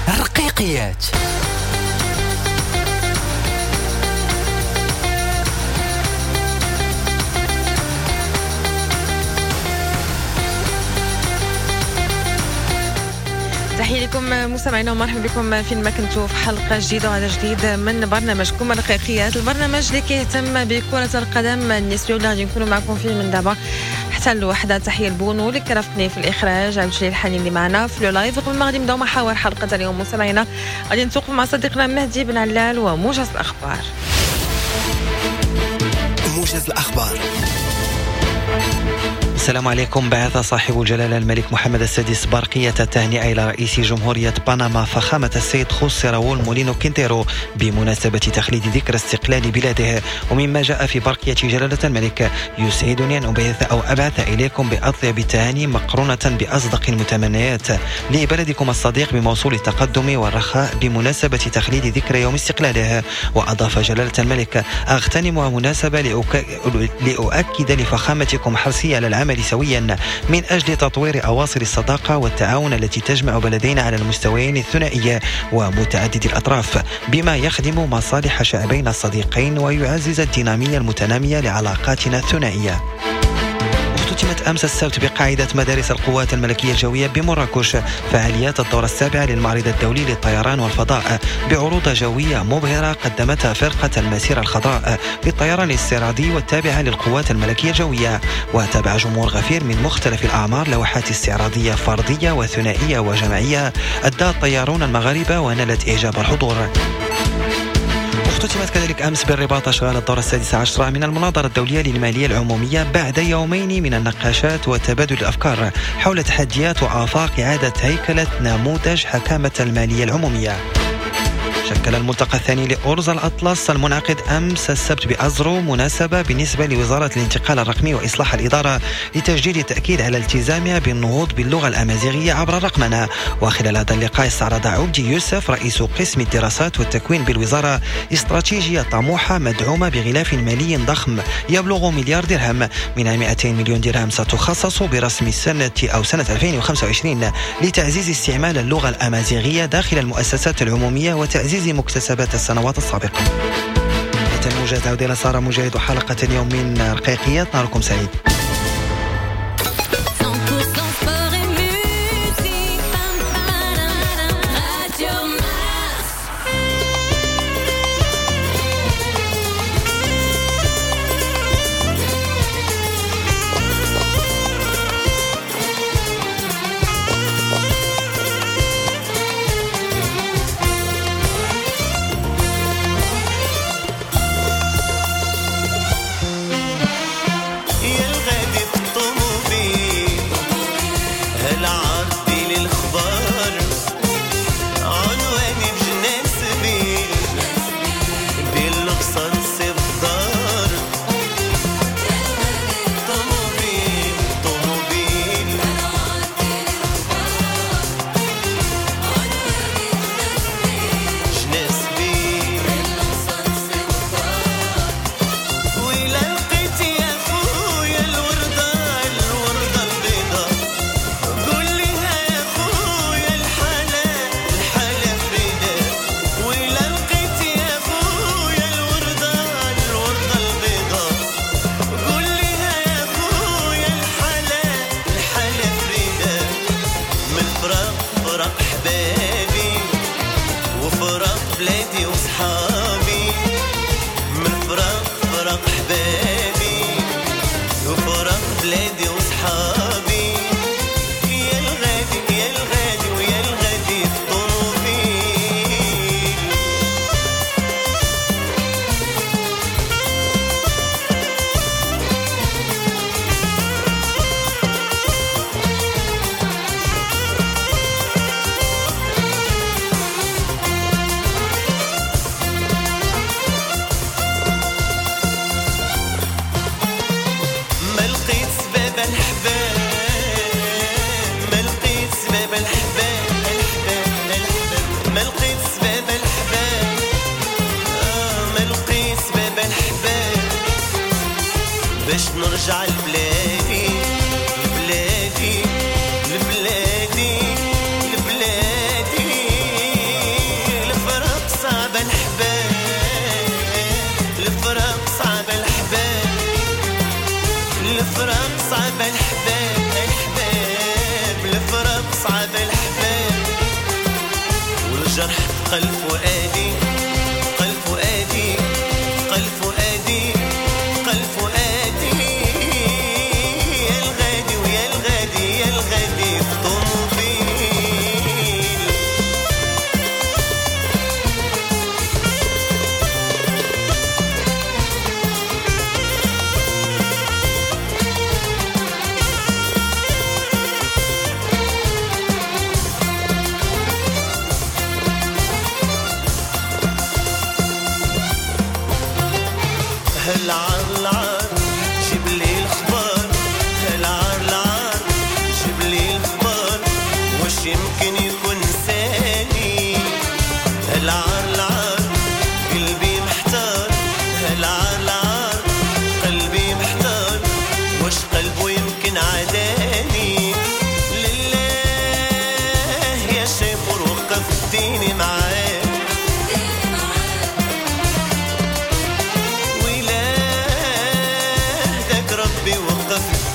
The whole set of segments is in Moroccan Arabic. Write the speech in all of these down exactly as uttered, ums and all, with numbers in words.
رقيقيات. تحية لكم مستمعينا ومرحبا بكم فين ما كنتوا في حلقة جديدة وعلى جديد من برنامجكم الرقيقيات، البرنامج اللي كيهتم بكرة القدم النسوية واللي غادي نكونوا معكم فيه من دابا حتى الوحدة. تحية لبونو اللي كرفني في الإخراج، عبد الجليل الحنين اللي معنا في live. قبل ما غادي نبداو محاور حلقة اليوم مستمعينا غادي نتوقف مع صديقنا مهدي بن علال وموجز الأخبار. موجز الأخبار. السلام عليكم. بعث صاحب الجلالة الملك محمد السادس برقية التهنئة إلى رئيس جمهورية بنما فخامة السيد خوسيه راؤول مولينو كينتيرو بمناسبة تخليد ذكرى استقلال بلاده. ومما جاء في برقية جلالة الملك: يسعدني أن أبعث أو أبعث إليكم بأطيب التهاني مقرونة بأصدق المتمنيات لبلدكم الصديق بموصول التقدم والرخاء بمناسبة تخليد ذكرى يوم استقلاله. وأضاف جلالة الملك: أغتنم مناسبة لأؤكد لفخامتكم حرصي على العمل سويا من أجل تطوير أواصر الصداقة والتعاون التي تجمع بلدينا على المستويين الثنائي ومتعدد الأطراف، بما يخدم مصالح شعبينا الصديقين ويعزز الدينامية المتنامية لعلاقاتنا الثنائية. اختتمت أمس السبت بقاعدة مدارس القوات الملكية الجوية بمراكش فعاليات الدورة السابعة للمعرض الدولي للطيران والفضاء بعروض جوية مبهرة قدمتها فرقة المسيرة الخضراء للطيران الاستعراضي والتابعة للقوات الملكية الجوية. وتابع جمهور غفير من مختلف الأعمار لوحات استعراضية فردية وثنائية وجماعية أدى الطيارون المغاربة ونالت إعجاب الحضور. اختتمت كذلك أمس بالرباط أشغال الدورة السادسة عشرة من المناظرة الدولية للمالية العمومية بعد يومين من النقاشات وتبادل الأفكار حول تحديات وآفاق إعادة هيكلة نموذج حكامة المالية العمومية. شكل الملتقى الثاني لأرز الأطلس المنعقد أمس السبت بأزرو مناسبة بالنسبة لوزارة الانتقال الرقمي وإصلاح الإدارة لتجديد التأكيد على التزامها بالنهوض باللغة الأمازيغية عبر الرقمنة. وخلال هذا اللقاء استعرض عبدي يوسف رئيس قسم الدراسات والتكوين بالوزارة استراتيجية طموحة مدعومة بغلاف مالي ضخم يبلغ مليار درهم، منها مئتين مليون درهم ستخصص برسم السنة أو سنة ألفين وخمسة وعشرين لتعزيز استعمال اللغة الأمازيغية داخل المؤسسات العمومية وتعزيز مكتسبات السنوات السابقة. الموجز عودة إلى سارة مجاهد وحلقة اليوم من رقيقيات. نهاركم سعيد. الوردة الوردة البيضاء قول لي يا خويا. جرح قلب فؤادي قلب فؤادي قلب فؤادي قلب فؤادي يا الغادي ويا الغادي يا الغادي في طوموبيل. هالعار العار جيب لي الخبر، هالعار العار جيب لي الخبر، واش يمكن يكون ثاني؟ هالعار العار قلبي محتار، هالعار العار قلبي محتار، واش قلبه يمكن عداني؟ لله يا شيخ وقفتيني معاك،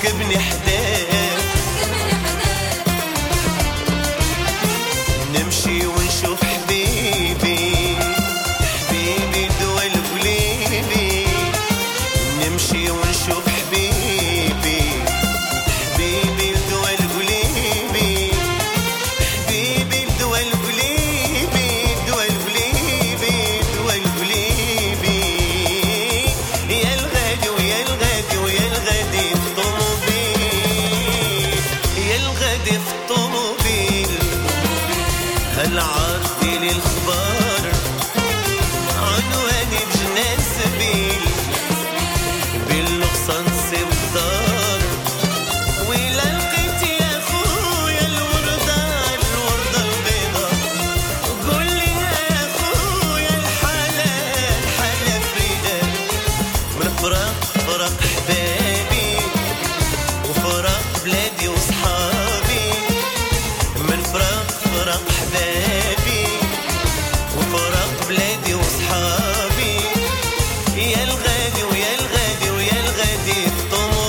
ركبني حداك، نمشي ونشوف حبيبي حبيبي دول قليبي، نمشي ونشوف حبيبي حبيبي دول قليبي، حبيبي دول قليبي دول قليبي دول قليبي، يا الغادي ويا الغادي ويا الغادي غادي في الطوموبيل. هالعار ديالي الخبار عنواني بجنان سبيل، باللغصة نصيب الدار، ويلا لقيت يا خويا الوردة الوردة البيضة، قول لي يا خويا الحالة الحالة فريدة، من فراق فراق حبابي وفراق بلادي وصحابي، من فراق فراق حبابي وفراق بلادي وصحابي، يا الغادي ويا الغادي ويا الغادي في طوموبيل.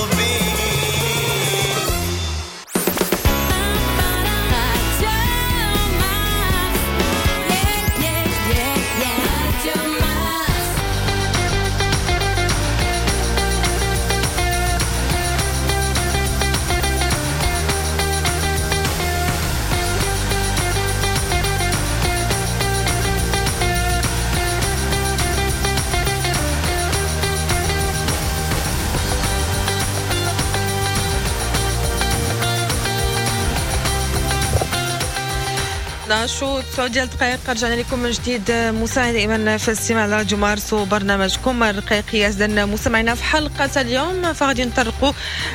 شو تسعة ديال الدقائق رجعنا لكم من جديد مستمعينا دائما في الاستماع على راديو مارس وبرنامجكم الرقيقية. إذن مستمعينا في حلقة اليوم فغادي نطرقوا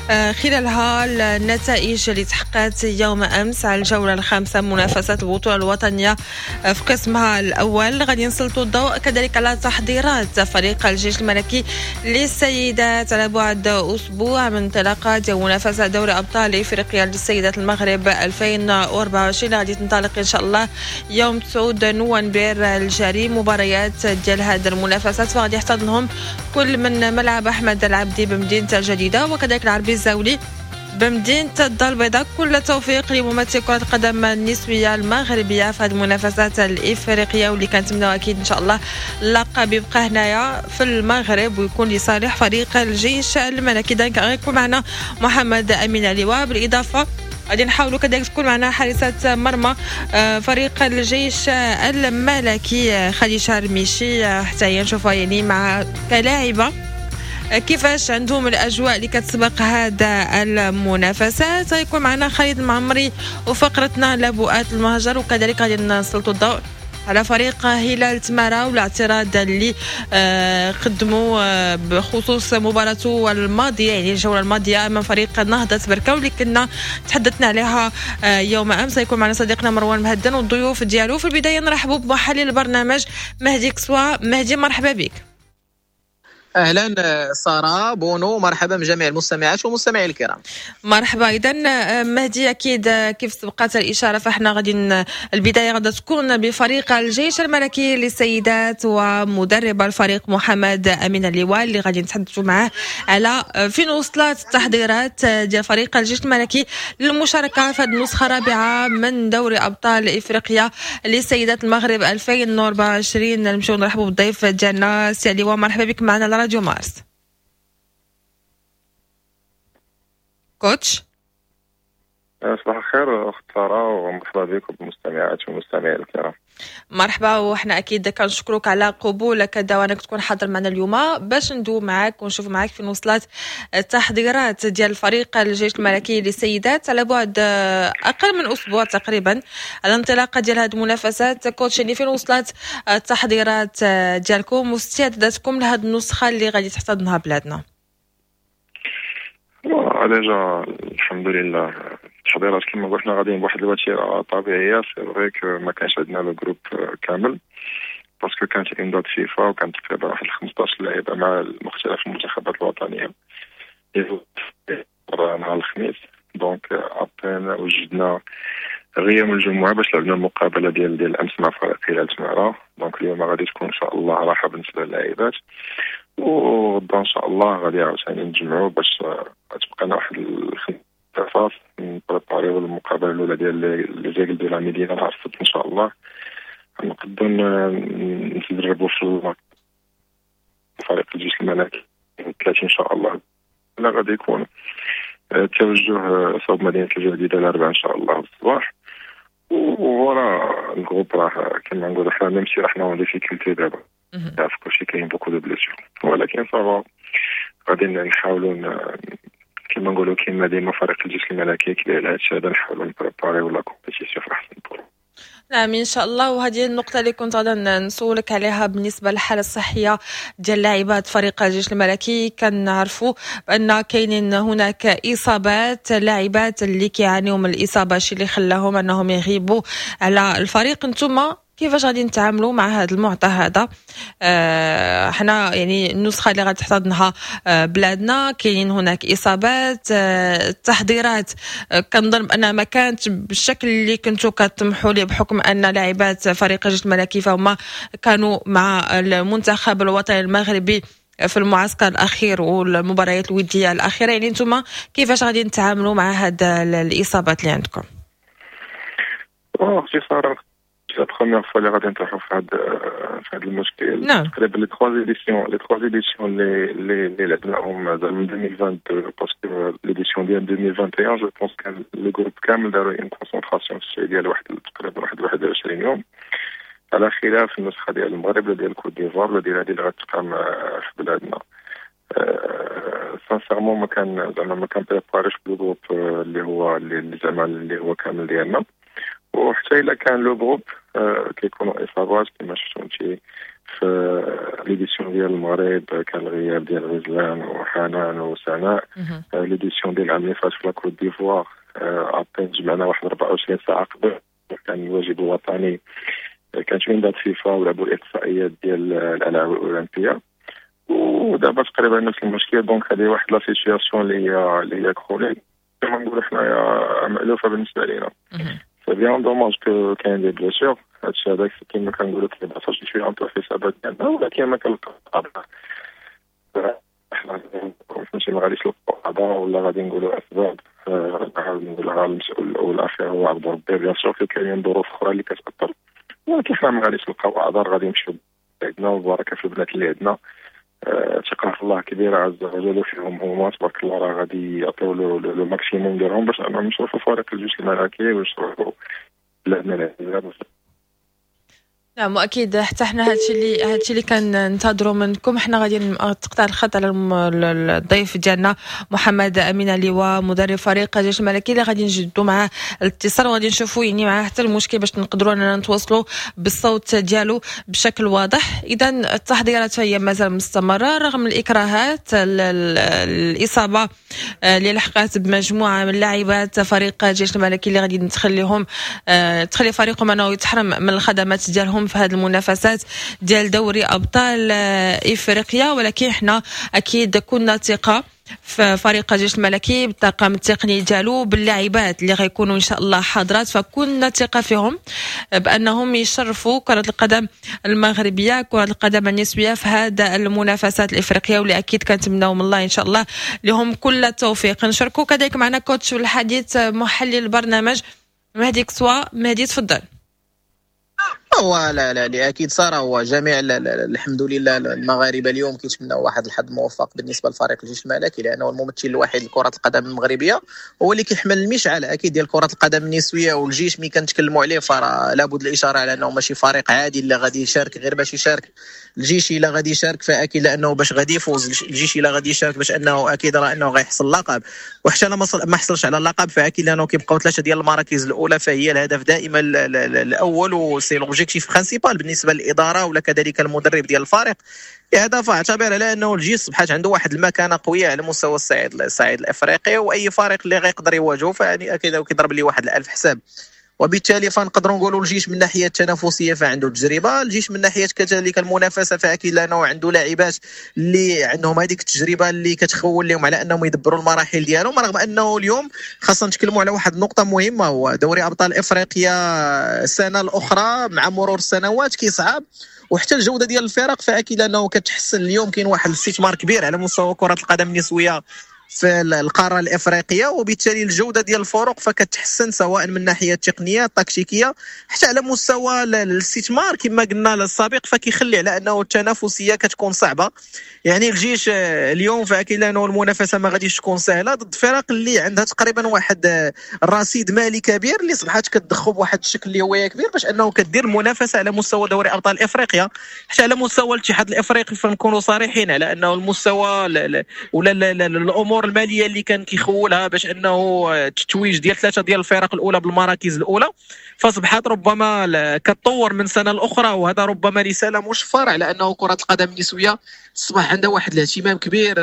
خلالها النتائج اللي تحققت يوم أمس على الجولة الخامسة منافسات البطولة الوطنية في قسمها الأول. غادي نسلطوا الضوء كذلك على تحضيرات فريق الجيش الملكي للسيدات على بعد أسبوع من انطلاقة منافسة دوري أبطال إفريقيا للسيدات المغرب ألفين وأربعة وعشرين. غادي تنطلق إن شاء الله يوم تسعة نوفمبر الجاري مباريات ديال هذه المنافسات، فغادي يحتضنهم كل من ملعب أحمد العبدي بمدينة الجديدة وكذلك العربي الزاولي بمدينة الدار البيضاء. كل التوفيق لممثل كرة القدم النسوية المغربية في هذه المنافسات الإفريقية، واللي كنتمناو أكيد إن شاء الله اللقب يبقى هنايا في المغرب ويكون لصالح فريق الجيش الملكي. إذن غيكون معنا محمد أمين عليوة، بالإضافة غادي نحاولوا كذلك تكون معنا حارسة مرمى فريق الجيش الملكي خديجة رميشي، حتى هي نشوفها يعني مع كلاعبة كيفاش عندهم الاجواء اللي كتسبق هذا المنافسات. غيكون معنا خالد المعمري وفقرتنا لبؤات المهجر، وكذلك غادي نسلطوا الضوء على فريق هلال تمارا والاعتراض اللي قدموا بخصوص مباراته الماضية، يعني الجولة الماضية أمام فريق نهضة بركة واللي كنا تحدثنا عليها يوم أمس. سيكون معنا صديقنا مروان مهدن والضيوف ديالو. في البداية نرحبوا بمحلل البرنامج مهدي كسوا. مهدي مرحبا بك. اهلا ساره بونو، مرحبا بجميع المستمعات والمستمعين الكرام. مرحبا. اذا مهدي، اكيد كيف سبقت الاشارة فاحنا غادي البداية غادي تكون بفريق الجيش الملكي للسيدات ومدرب الفريق محمد امين عليوة اللي غادي نتحدثوا معاه على فين وصلت التحضيرات ديال فريق الجيش الملكي للمشاركة في هذه النسخة الرابعة من دوري ابطال افريقيا لسيدات المغرب ألفين وأربعة وعشرين. نمشيو نرحبوا بالضيف ديالنا سي عليوة، مرحبا بك معنا على راديو مارس. coach، صباح الخير اخت ساره ومرحبا بكم بالمستمعات والمستمعين الكرام. مرحبا، وحنا اكيد كنشكرك على قبولك الدعوة انك تكون حاضر معنا اليوم باش ندوي معاك ونشوف معاك فين وصلت التحضيرات ديال فريق الجيش الملكي للسيدات على بعد اقل من اسبوع تقريبا على انطلاقة ديال هذه المنافسات. coach، يعني فين وصلت التحضيرات ديالكم واستعداداتكم لهذه النسخة اللي غادي تحتضنها بلادنا؟ déjà الحمد لله التحضيرات كما قلنا غاديين بواحد الوتيره طبيعية. c'est vrai que ما كانش عندنا le groupe كامل parce que كانت une date FIFA وكانت تقريبا واحد خمسطاش لاعبه مع مختلف المنتخبات الوطنية نهار الخميس. donc à peine وجدنا غير يوم الجمعة باش لعبنا المقابلة ديال ديال الامس مع فريق هلال تماره. donc اليوم غادي تكون ان شاء الله راحة بالنسبة للاعبات، وغدا ان شاء الله غادي عاوتاني نتجمعوا باش تبقى لنا واحد الخمسة نبريباريو المقابلة الاولى ديال les Aigles de la Médina نهار السبت ان شاء الله. نقدروا نتدربوا في فريق الجيش الملكي ثلاثين ان شاء الله. لا غادي يكون التوجه صوب مدينة الجديدة الاربعاء ان شاء الله الصباح. voilà ال groupe راه كما نقولوا حنا même si راه حنا en difficulté دابا، تعرف كلشي كاين beaucoup de blessures، ولكن ça va غادي نحاولوا كما نقولوا كيما ديما فريق الجيش الملكي كبير على هادشي هذا، نحاولوا نبريباريو la compétition في احسن طرق. نعم ان شاء الله. وهذه النقطة اللي كنت غادا نسولك عليها بالنسبة للحالة الصحية ديال لاعبات فريق الجيش الملكي، كنعرفوا بان كاينين هناك اصابات، لاعبات اللي كيعانيوا من الاصابة، الشيء اللي خلاهم انهم يغيبوا على الفريق. انتم كيفاش غادي نتعاملوا مع هذا المعطى هذا؟ آه حنا يعني النسخة اللي غادي تحتضنها آه بلادنا كاينين هناك اصابات، آه التحضيرات آه كنظن بانها ما كانت بالشكل اللي كنتو كتطمحوا ليه بحكم ان لاعبات فريق الجيش الملكي فهم كانوا مع المنتخب الوطني المغربي في المعسكر الاخير والمباريات الودية الاخيرة. يعني انتم كيفاش غادي نتعاملوا مع هاد الاصابات اللي عندكم؟ اختي ساره، la première fois اللي غادي نطيحوا في هذا في هذا المشكل. نعم. تقريبا les trois éditions les trois éditions اللي اللي اللي لعبناهم زعما من ألفين واثنين وعشرين، parce que l'édition ديال ألفين وواحد وعشرين je pense كان le groupe كامل داروا une concentration في السعودية لواحد تقريبا واحد واحد وعشرين يوم، على خلاف النسخة ديال المغرب ولا ديال كوت ديفوار ولا ديال هذه اللي غتقام في بلادنا. sincèrement ما كان زعما ما كان بريباريش le groupe اللي هو اللي زعما اللي هو كامل ديالنا، وحتى الا كان le groupe كيكونوا اصابات كما شفتوا انت في l'édition ديال المغرب كان الغياب ديال غزلان وحنان وسناء. l'édition ديال العام اللي فات في la Côte d'Ivoire à peine جمعنا واحد أربعة وعشرين ساعة قبل، كان الواجب الوطني، كانت une date FIFA ولعبوا الاقصائيات ديال الالعاب الاولمبية، ودابا تقريبا نفس المشكل. donc هذه واحد la situation اللي هي اللي هي chronique كما نقولوا حنايا مألوفة بالنسبة لينا. c'est bien dommage que كاين des blessures، هادشي هذاك كيما كنقولوا كيبقى شي شوية un peu حسابات ديالنا، ولكن ما كنلقاو حنا فهمتي ما غاديش نلقاو اعذار ولا غادي نقولوا اسباب. نعاود نقولها المسؤول الاول والاخير هو عبد ربي، bien sûr كاينين ظروف اخرى اللي كتاثر، ولكن حنا ما غاديش نلقاو اعذار، غادي نمشيو عندنا وبركة في البنات اللي عندنا. ثقة في الله كبيرة عز وجل وفيهم هما تبارك الله راه غادي يعطيو le maximum ديالهم باش انهم يشرفوا فريق الجيش الملكي ويشرفوا بلادنا العزيزة. نعم، واكيد حتى حنا هادشي اللي هادشي اللي كننتظروا منكم. حنا غادي تقطع الخط على الضيف ديالنا محمد امين عليوة مدرب فريق الجيش الملكي اللي غادي نجدوا معاه الاتصال وغادي نشوفوا يعني معاه حتى المشكل باش نقدروا اننا نتواصلوا بالصوت ديالو بشكل واضح. اذا التحضيرات هي مازال مستمرة رغم الاكراهات، الاصابة اللي لحقت بمجموعه من لاعبات فريق الجيش الملكي اللي غادي تخليهم تخلي فريقهم انه يتحرم من الخدمات ديالهم لهم في هذه المنافسات ديال دوري ابطال افريقيا. ولكن حنا اكيد كنا ثقة في فريق الجيش الملكي بالطاقم التقني ديالو، باللاعبات اللي غيكونوا ان شاء الله حاضرات، فكنا ثقة فيهم بانهم يشرفوا كره القدم المغربيه، كره القدم النسوية في هذا المنافسات الافريقيه، واللي اكيد كنتمناو من الله ان شاء الله لهم كل التوفيق. نشاركوا كذلك معنا coach الحديث محلل البرنامج مهدي كسوا. مهدي تفضل. هو لا لا لا اكيد ساره، هو جميع الحمد لله المغاربة اليوم كيتمناو واحد الحظ موفق بالنسبة لفريق الجيش الملكي، لانه الممثل الوحيد لكرة القدم المغربية هو اللي كيحمل المشعل اكيد ديال كره القدم النسوية. والجيش ملي كنتكلموا عليه فراه لابد الاشارة على انه ماشي فريق عادي اللي غادي يشارك غير باش يشارك. الجيش الا غادي يشارك فاكيد لانه باش غادي يفوز، الجيش الا غادي يشارك باش انه اكيد راه انه غيحصل اللقب، وحتى لا ما حصلش على اللقب فاكيد لانه كيبقاو ثلاثة ديال المراكز الاولى، فهي الهدف دائما الاول و c'est l'objectif principal بالنسبة للادارة ولا كذلك المدرب ديال الفريق. لهذا فاعتبر على انه الجيش صبحات عنده واحد المكانة قوية على مستوى الصعيد الصعيد الافريقي، واي فريق اللي غيقدر يواجهه فيعني اكيد كيضرب ليه واحد الالف حساب. وبالتالي فنقدروا نقولوا الجيش من ناحية التنافسية فعنده تجربه، الجيش من ناحية كذلك المنافسة فاكيد لانه عنده لاعبات اللي عندهم هذيك التجربة اللي كتخول لهم على انهم يدبروا المراحل ديالهم. رغم انه اليوم خاصنا نتكلموا على واحد النقطة مهمة، هو دوري ابطال افريقيا السنة الاخرى مع مرور السنوات كيصعب، وحتى الجودة ديال الفرق فاكيد انه كتحسن. اليوم كاين واحد الاستثمار كبير على مستوى كره القدم النسوية في القارة الافريقية، وبالتالي الجودة ديال الفرق فكتحسن سواء من ناحية التقنية التكتيكيه حتى على مستوى الاستثمار كما قلنا السابق، فكيخلي على انه التنافسية كتكون صعبة. يعني الجيش اليوم فاكيد انه المنافسة ما غاديش تكون سهلة ضد فرق اللي عندها تقريبا واحد الرصيد مالي كبير اللي صبحات كتضخو بواحد الشكل اللي هو كبير باش انه كدير المنافسة على مستوى دوري ابطال افريقيا حتى على مستوى الاتحاد الافريقي. فنكونوا صريحين على انه المستوى ولا الامور المالية اللي كان كيخولها باش انه التتويج ديال ثلاثة ديال الفرق الاولى بالمراكز الاولى فاصبحت ربما كتطور من سنة لاخرى، وهذا ربما رسالة مشفرة على انه كره القدم النسوية اصبح عندها واحد الاهتمام كبير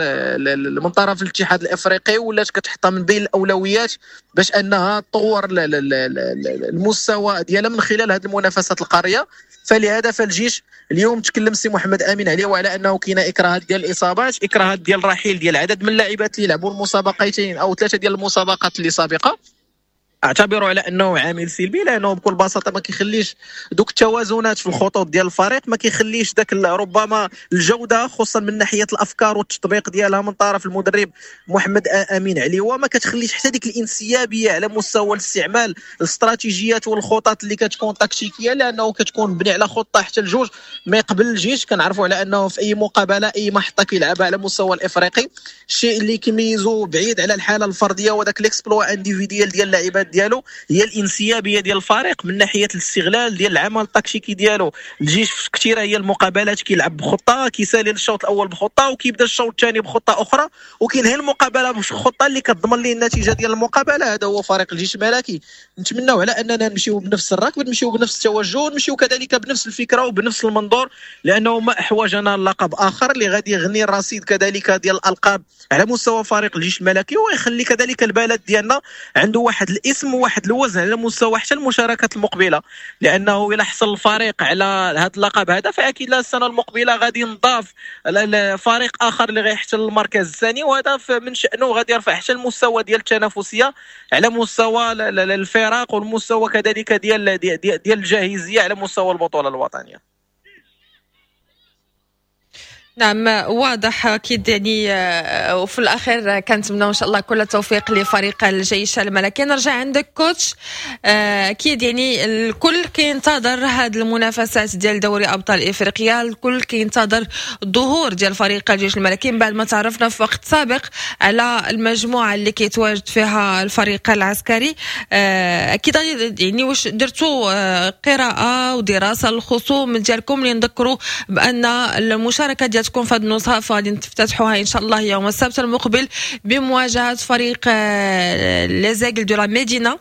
من طرف الاتحاد الافريقي، ولات كتحطها من بين الاولويات باش انها تطور المستوى ديالها من خلال هذه المنافسات القارية. فلهذا فالجيش اليوم تكلم سي محمد امين عليه وعلى انه كاينه اكراهات ديال الاصابات، اكراهات ديال الرحيل ديال عدد من اللاعبات اللي لعبوا المسابقتين او ثلاثة ديال المسابقات اللي سابقه، اعتبره على انه عامل سلبي لانه بكل بساطة ما كيخليش دوك التوازنات في الخطوط ديال الفريق، ما كيخليش داك ربما الجودة خصوصا من ناحية الافكار والتطبيق ديالها من طرف المدرب محمد امين عليوه، ما كتخليش حتى ديك الانسيابيه على مستوى الاستعمال الاستراتيجيات والخطط اللي كتكون تكتيكية، لانه كتكون مبني على خطه حتى الجوج ما يقبل الجيش. كنعرفوا على انه في اي مقابله اي محطة كيلعبها على مستوى الافريقي، الشيء اللي كيميزو بعيد على الحالة الفردية وداك l'exploit individuel ديال اللاعبات ديالو هي الانسيابيه ديال الفريق من ناحية الاستغلال ديال العمل التكتيكي ديالو. الجيش في كثيرة هي المقابلات كيلعب بخطه، كيسالي الشوط الاول بخطه وكيبدا الشوط الثاني بخطه اخرى وكينهي المقابلة بخطه اللي كتضمن ليه النتيجة ديال المقابلة. هذا هو فريق الجيش الملكي. نتمناو على اننا نمشيو بنفس الركب، نمشيو بنفس التوجه، نمشيو كذلك بنفس الفكرة وبنفس المنظور، لانه ما احوجنا لقب اخر اللي غادي يغني الرصيد كذلك ديال الالقاب على مستوى فريق الجيش الملكي، ويخلي كذلك البلد ديالنا عنده واحد الاسم وواحد الوزن على مستوى حتى المشاركات المقبلة، لانه الى حصل الفريق على هذا اللقب هذا فاكيد السنة المقبلة غادي ينضاف فريق اخر اللي غيحتل المركز الثاني، وهذا من شانه غادي يرفع حتى المستوى ديال التنافسية على مستوى الفرق والمستوى كذلك ديال ديال الجاهزيه على مستوى البطولة الوطنية. نعم واضح اكيد يعني. وفي الاخير كنتمنى ان شاء الله كل التوفيق لفريق الجيش الملكي. نرجع عندك coach، اكيد يعني الكل كينتظر هذه المنافسات ديال دوري ابطال افريقيا، الكل كينتظر الظهور ديال فريق الجيش الملكي من بعد ما تعرفنا في وقت سابق على المجموعة اللي كيتواجد فيها الفريق العسكري. اكيد يعني واش درتوا قراءة ودراسة للخصوم ديالكم اللي نذكروا بان المشاركة ديال تكون في هذه النزهه فغادي نفتتحوها ان شاء الله يوم السبت المقبل بمواجهة فريق les Aigles de la Médina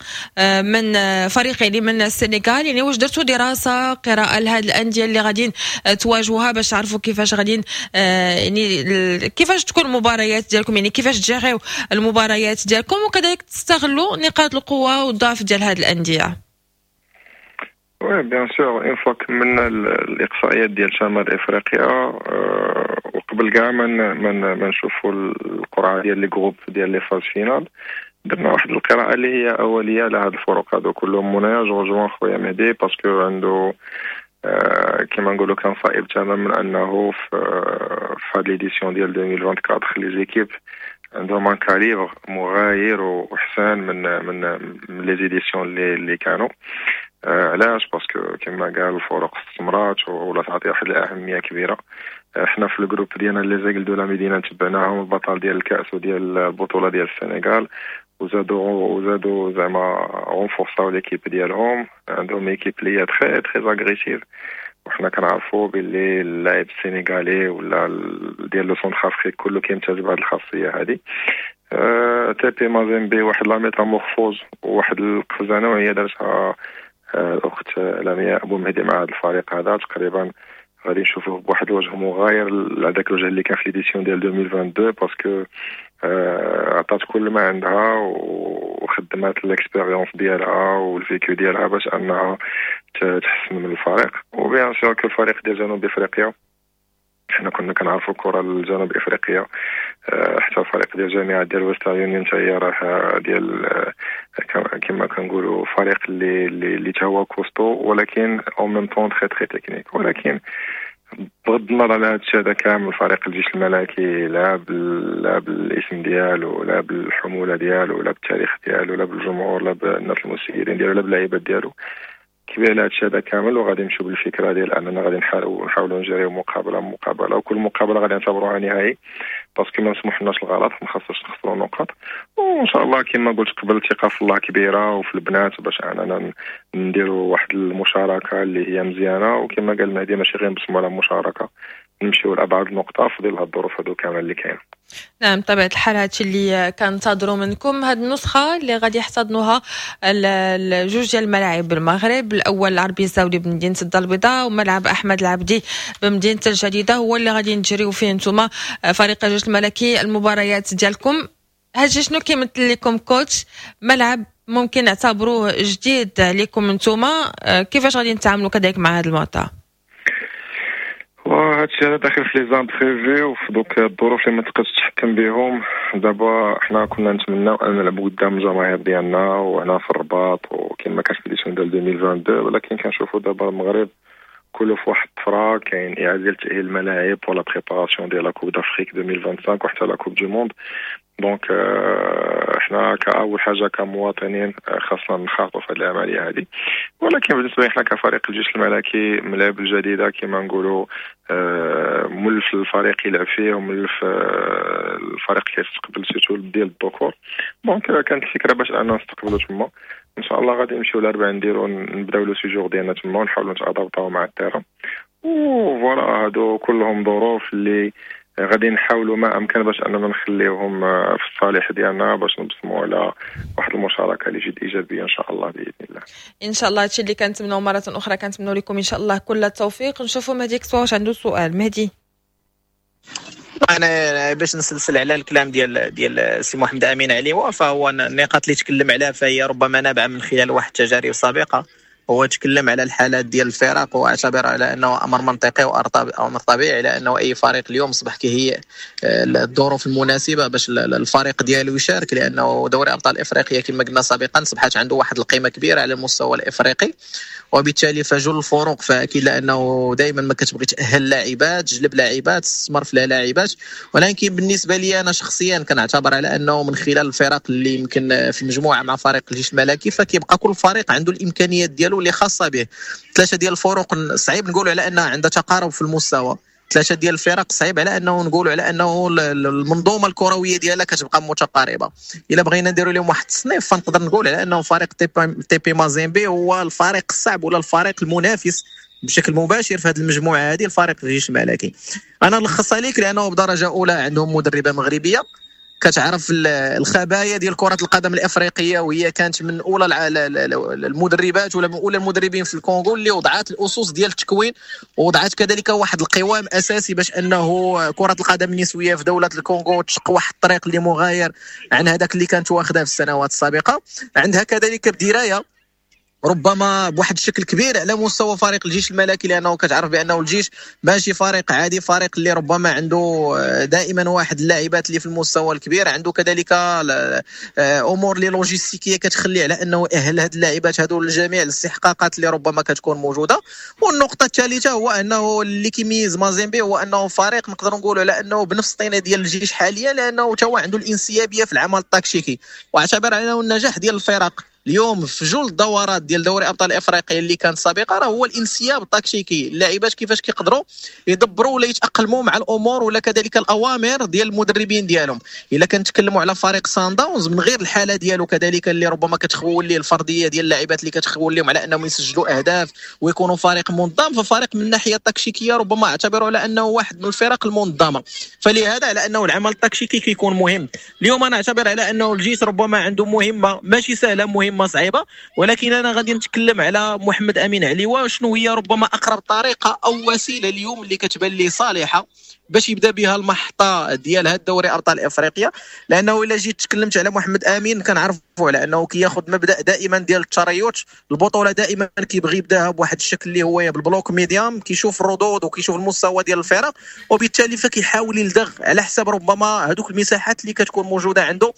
من فريق يعني من السنغال. يعني واش درتوا دراسة قراءة لهذه الاندية اللي غاديين تواجهوها باش تعرفوا كيفاش غاديين يعني كيفاش تكون المباريات ديالكم، يعني كيفاش تجيريو المباريات ديالكم وكذلك تستغلوا نقاط القوة والضعف ديال هذه الاندية؟ oui bien sûr، une fois كملنا الاقصائيات ديال شمال افريقيا آه، وقبل كاع ما ما نشوفوا القرعة ديال les groupes ديال les phases finales، درنا واحد القراءة اللي هي اوليه على هاد الفرق هادو كلهم. منايا je rejoins خويا مهدي parce que عنده آه، كما نقولوا كان صائب تماما انه في في هاد l'édition ديال ألفين وأربعة وعشرين les équipes عندهم un calibre مغاير وحسن من من من les éditions اللي اللي كانوا. آه علاش؟ parce que كما قال الفرق استثمرات ولا تعطي واحد الاهمية كبيره. آه، حنا في ال groupe ديالنا les Aigles de la Médina تبعناهم، البطل ديال الكاس وديال البطولة ديال السنغال، وزادوا وزادوا زعما renforçaو l'équipe ديالهم. عندهم équipe اللي هي très très agressive، وحنا كنعرفوا باللي اللاعب السنغالي ولا ديال le Centrafrique كله كيمتاز بهذه الخاصية هذه. أه تي بي مازيمبي واحد la métamorphose وواحد القفزة نوعية دارتها آه، الاخت لمياء ابو مهدي مع هذا الفريق هذا. تقريبا غادي نشوفوه بواحد الوجه مغاير لهذاك الوجه اللي كان في l'édition ديال ألفين واثنين وعشرين، parce que آه، عطات كل ما عندها وخدمات l'expérience ديالها وال vécu ديالها باش انها تحسن من الفريق. و bien sûr que الفريق ديال جنوب افريقيا، حنا كنا كنعرفوا الكره الجنوب افريقيا، آه، حتى الفريق ديال الجامعة ديال ويسترن يونيون حتى هي راه ديال آه، كما كنقولوا فريق اللي اللي اللي هو costaud ولكن en même temps très très technique. ولكن بغض النظر على هذا الشيء هذا كامل، فريق الجيش الملكي لا لا بالاسم ديالو، لا بالحموله ديالو، لا بالتاريخ ديالو، لا بالجمهور، لا بالناس المسيرين ديالو، لا باللعيبات ديالو، كبير على هادشي هذا كامل. وغادي نمشيو بالفكرة ديال اننا غادي نحاولوا نحاولوا نجريو مقابله مقابله، وكل مقابله غادي نعتبروها نهائي، parce que ما نسمحلناش الغلط، ما خاصناش نخسروا نقاط. وان شاء الله كما قلت قبل، الثقة في الله كبيرة وفي البنات باش اننا نديروا واحد المشاركة اللي هي مزيانه. وكما قال مهدي، ماشي غير نبصموا على المشاركه، نمشيو لابعد نقطة في ظل هاد الظروف هادو كامل اللي كاينه. نعم، بطبيعة الحال هادشي اللي كنتظروا منكم. هاد النسخة اللي غادي يحتضنوها الجوج ديال الملاعب بالمغرب، الاول العربي الزاولي بمدينة الدار البيضاء وملعب احمد العبدي بمدينة الجديده، هو اللي غادي نجريو فيه نتوما فريق الجيش الملكي المباريات ديالكم. هادشي شنو كيمثل لكم coach؟ ملعب ممكن نعتبروه جديد لكم نتوما، كيفاش غادي نتعاملوا كذلك مع هذا المعطى؟ وهادشي هذا داخل في les imprévus وفي دوك الظروف اللي ما تقدرش تتحكم بهم. دابا حنا كنا نتمناو ان نلعبوا قدام الجماهير ديالنا وهنا في الرباط وكما كانت في l'édition ديال ألفين واثنين وعشرين، ولكن كنشوفوا دابا المغرب كله في واحد الطفره، كاين اعاده تاهيل الملاعب ولا préparation ديال la Coupe d'Afrique ألفين وخمسة وعشرين وحتى la Coupe du monde. donc حنا كاول حاجة كمواطنين خاصنا نخاطوا في هذه العملية هذه. ولكن بالنسبة لنا كفريق الجيش الملكي، ملاعب الجديدة كما نقولوا مولف الفريق يلعب فيه ومولف الفريق كيستقبل surtout ديال الذكور. donc كانت الفكرة باش اننا نستقبلوا تما. ان شاء الله غادي نمشيو الاربعاء نديرو نبداو le séjour ديالنا تما ونحاولوا نت adaptاو مع ال terrain و voilà. هادو كلهم ظروف اللي غادي نحاولوا ما امكن باش اننا نخليهم في الصالح ديالنا باش نبصموا على واحد المشاركة اللي جد ايجابية ان شاء الله باذن الله. ان شاء الله، هادشي اللي كنتمناو. مرة اخرى كنتمنوا لكم ان شاء الله كل التوفيق. نشوفوا مهدي واش عنده سؤال. مهدي. انا باش نسلسل على الكلام ديال ديال سي محمد امين عليوه، فهو النقاط اللي تكلم عليها فهي ربما نابعة من خلال واحد التجارب سابقه. هو تكلم على الحالات ديال الفرق واعتبر على انه امر منطقي وامر طبيعي، على انه اي فريق اليوم اصبح كيهيئ آه، الظروف المناسبة باش الفريق ديالو يشارك، لانه دوري ابطال افريقيا كما قلنا سابقا اصبحت عنده واحد القيمة كبيرة على المستوى الافريقي، وبالتالي فجل الفرق فاكيد لانه دائما ما كتبغي تاهل لاعبات، تجلب لاعبات، تستثمر في لاعبات. ولكن بالنسبة لي انا شخصيا كنعتبر على انه من خلال الفرق اللي يمكن في المجموعة مع فريق الجيش الملكي، فكيبقى كل فريق عنده الامكانيات ديالو اللي خاصة به. ثلاثة ديال الفرق صعيب نقولوا على انها عندها تقارب في المستوى، ثلاثة ديال الفرق صعيب على انه نقولوا على انه المنظومة الكروية ديالها كتبقى متقاربه. الا بغينا نديروا لهم واحد التصنيف، فنقدر نقول على انه فريق تي بي مازيمبي هو الفريق الصعب ولا الفريق المنافس بشكل مباشر في هذه المجموعة هذه الفريق الجيش الملكي. انا نلخصها لك، لانه بدرجة اولى عندهم مدربه مغربية كتعرف الخبايا ديال كرة القدم الافريقيه، وهي كانت من اولى المدربات ولا من اولى المدربين في الكونغو اللي وضعت الاسس ديال التكوين، ووضعت كذلك واحد القوام اساسي باش انه كرة القدم النسوية في دولة الكونغو تشق واحد الطريق اللي مغاير عن هذاك اللي كانت واخدها في السنوات السابقه. عندها كذلك بدرايه ربما بواحد الشكل كبير على مستوى فريق الجيش الملكي، لانه كتعرف بانه الجيش ماشي فريق عادي، فريق اللي ربما عنده دائما واحد اللاعبات اللي في المستوى الكبير، عنده كذلك امور اللي لوجيستيكيه كتخلي على انه اهل هاد اللاعبات هادو لجميع الاستحقاقات اللي ربما كتكون موجودة. والنقطة الثالثة هو انه اللي كيميز مازيمبي هو انه فريق نقدر نقولوا على انه بنفس الطينه ديال الجيش حاليا، لانه تا هو عنده الانسيابيه في العمل التكتيكي. واعتبر انه النجاح ديال الفرق اليوم في جل الدورات ديال دوري ابطال افريقيا اللي كانت سابقه راه هو الانسياب التكتيكي، اللاعبات كيفاش كيقدروا يدبروا ولا يتاقلموا مع الامور ولا كذلك الاوامر ديال المدربين ديالهم. الا كنتكلموا على فريق سان داونز من غير الحالة ديالو كذلك اللي ربما كتخول ليه الفردية ديال اللاعبات اللي كتخول لهم على انهم يسجلوا اهداف ويكونوا فريق منظم، ففريق من الناحية التكتيكيه ربما اعتبره على انه واحد من الفرق المنظمة، فلهذا على انه العمل التكتيكي كيكون مهم. اليوم انا اعتبر على انه الجيش ربما عنده مهمة ماشي سهلة، مهمة صعيبة، ولكن انا غادي نتكلم على محمد امين عليوه شنو هي ربما اقرب طريقه او وسيلة اليوم اللي كتبان لي صالحه باش يبدا بها المحطة ديال هذا الدوري ابطال افريقيا. لانه الا جيت تكلمت على محمد امين كنعرفوا على انه كياخذ مبدا دائما ديال التريث، البطولة دائما كيبغي يبداها بواحد الشكل اللي هو بال bloc médium، كيشوف الردود وكيشوف المستوى ديال الفرق، وبالتالي فكيحاول يلدغ على حسب ربما هذوك المساحات اللي كتكون موجودة عنده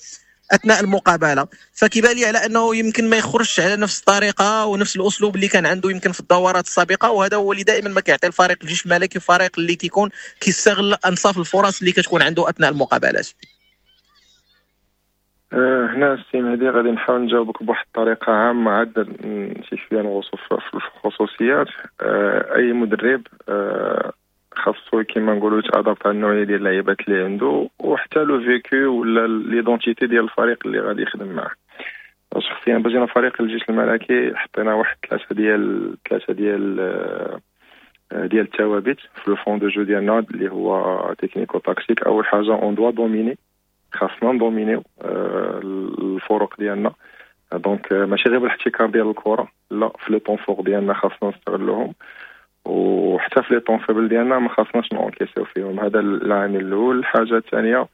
اثناء المقابلة. فكيبان لي على انه يمكن ما يخرجش على نفس الطريقة ونفس الاسلوب اللي كان عنده يمكن في الدورات السابقة، وهذا هو اللي دائما ما كيعطي الفريق الجيش الملكي فريق اللي كيكون كيستغل انصاف الفرص اللي كتكون عنده اثناء المقابلات. أه هنا السي مهدي غادي نحاول نجاوبك بواحد الطريقة عامة عاد شي شوية نغوصوا في الخصوصيات. أه اي مدرب أه خاصو كيما نقولوا يت adapte على النوعية ديال اللعيبات اللي عنده وحتى le vécu ولا l'identité ديال الفريق اللي غادي يخدم معاه. شخصيا باش جينا فريق الجيش الملكي حطينا واحد ثلاثة ديال ثلاثة ديال ديال الثوابت في le fond de jeu ديالنا اللي هو technico-tactique. اول حاجة on doit dominer، خاصنا ندومينيو الفرق ديالنا، donc ماشي غير بالاحتكار ديال الكره، لا في les temps forts ديالنا خاصنا نستغلوهم، وحتى في les temps faibles ديالنا ما خاصناش نونكيسيو فيهم. هذا العامل الاول. الحاجة الثانية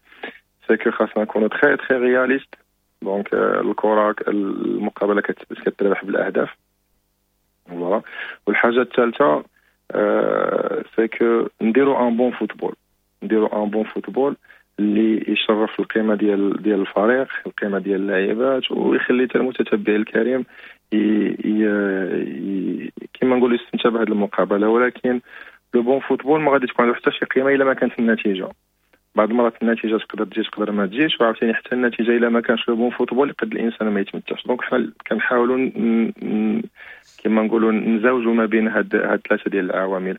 c'est que خاصنا نكونوا très très réalistes، donc الكره المقابلة كتربح بالاهداف voilà. والحاجة الثالثة c'est que نديرو un bon football، نديرو un bon football اللي يشرف القيمة ديال ديال الفريق، القيمة ديال اللاعبات، ويخلي حتى المتتبع الكريم كما نقولوا يستمتع بهذه المقابلة. ولكن le bon football ما غادي تكون عنده حتى شي قيمة الا ما كانت النتيجة. بعض المرات النتيجة تقدر تجي تقدر ما تجيش، وعاوتاني حتى النتيجة الا ما كانش le bon football يقد الانسان ما يتمتعش. donc حنا كنحاولوا كما نقولوا نزوجوا ما بين هاد هاد ثلاثة ديال العوامل.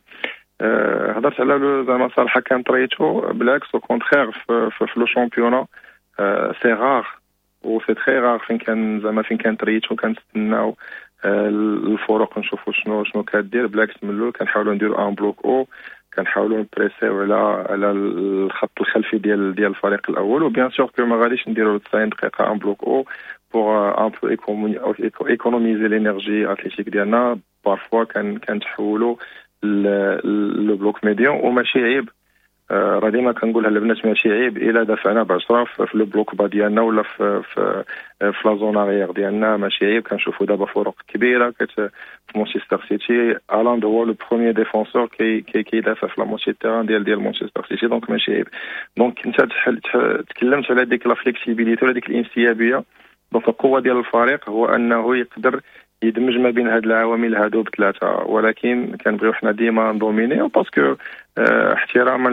أه هضرت على زعما صراحة كان طريتو، بالعكس au contraire في, في, في le championnat c'est rare و c'est très rare فين كان زعما فين كان تريتو كنتسناو الفرق نشوفوا شنو شنو كدير. بالعكس من الاول كنحاولوا نديروا un bloc haut، كنحاولوا نبريسيو على على الخط الخلفي ديال ديال الفريق الاول، و bien sûr que ما غاديش نديروا تسعين دقيقة un bloc haut pour un peu économiser l'énergie athlétique ديالنا. parfois كان كنتحولوا le bloc médian، وماشي عيب، راه ديما كنقولها للبنات ماشي عيب الا دافعنا ب عشرة في le bloc bas ديالنا ولا في في في la zone arrière ديالنا، ماشي عيب. كنشوفوا دابا فرق كبيرة كت في مانشستر سيتي هالاند هو le premier défenseur كي كي كيدافع في la moitié terrain ديال ديال مانشستر سيتي، donc ماشي عيب. donc انت تكلمت على ديك la flexibilité ولا ديك الانسيابيه، donc القوة ديال الفريق هو انه يقدر يدمج ما بين هاد العوامل هادو بثلاثة. ولكن كنبغيو حنا ديما ندومينيو parce que اه احتراما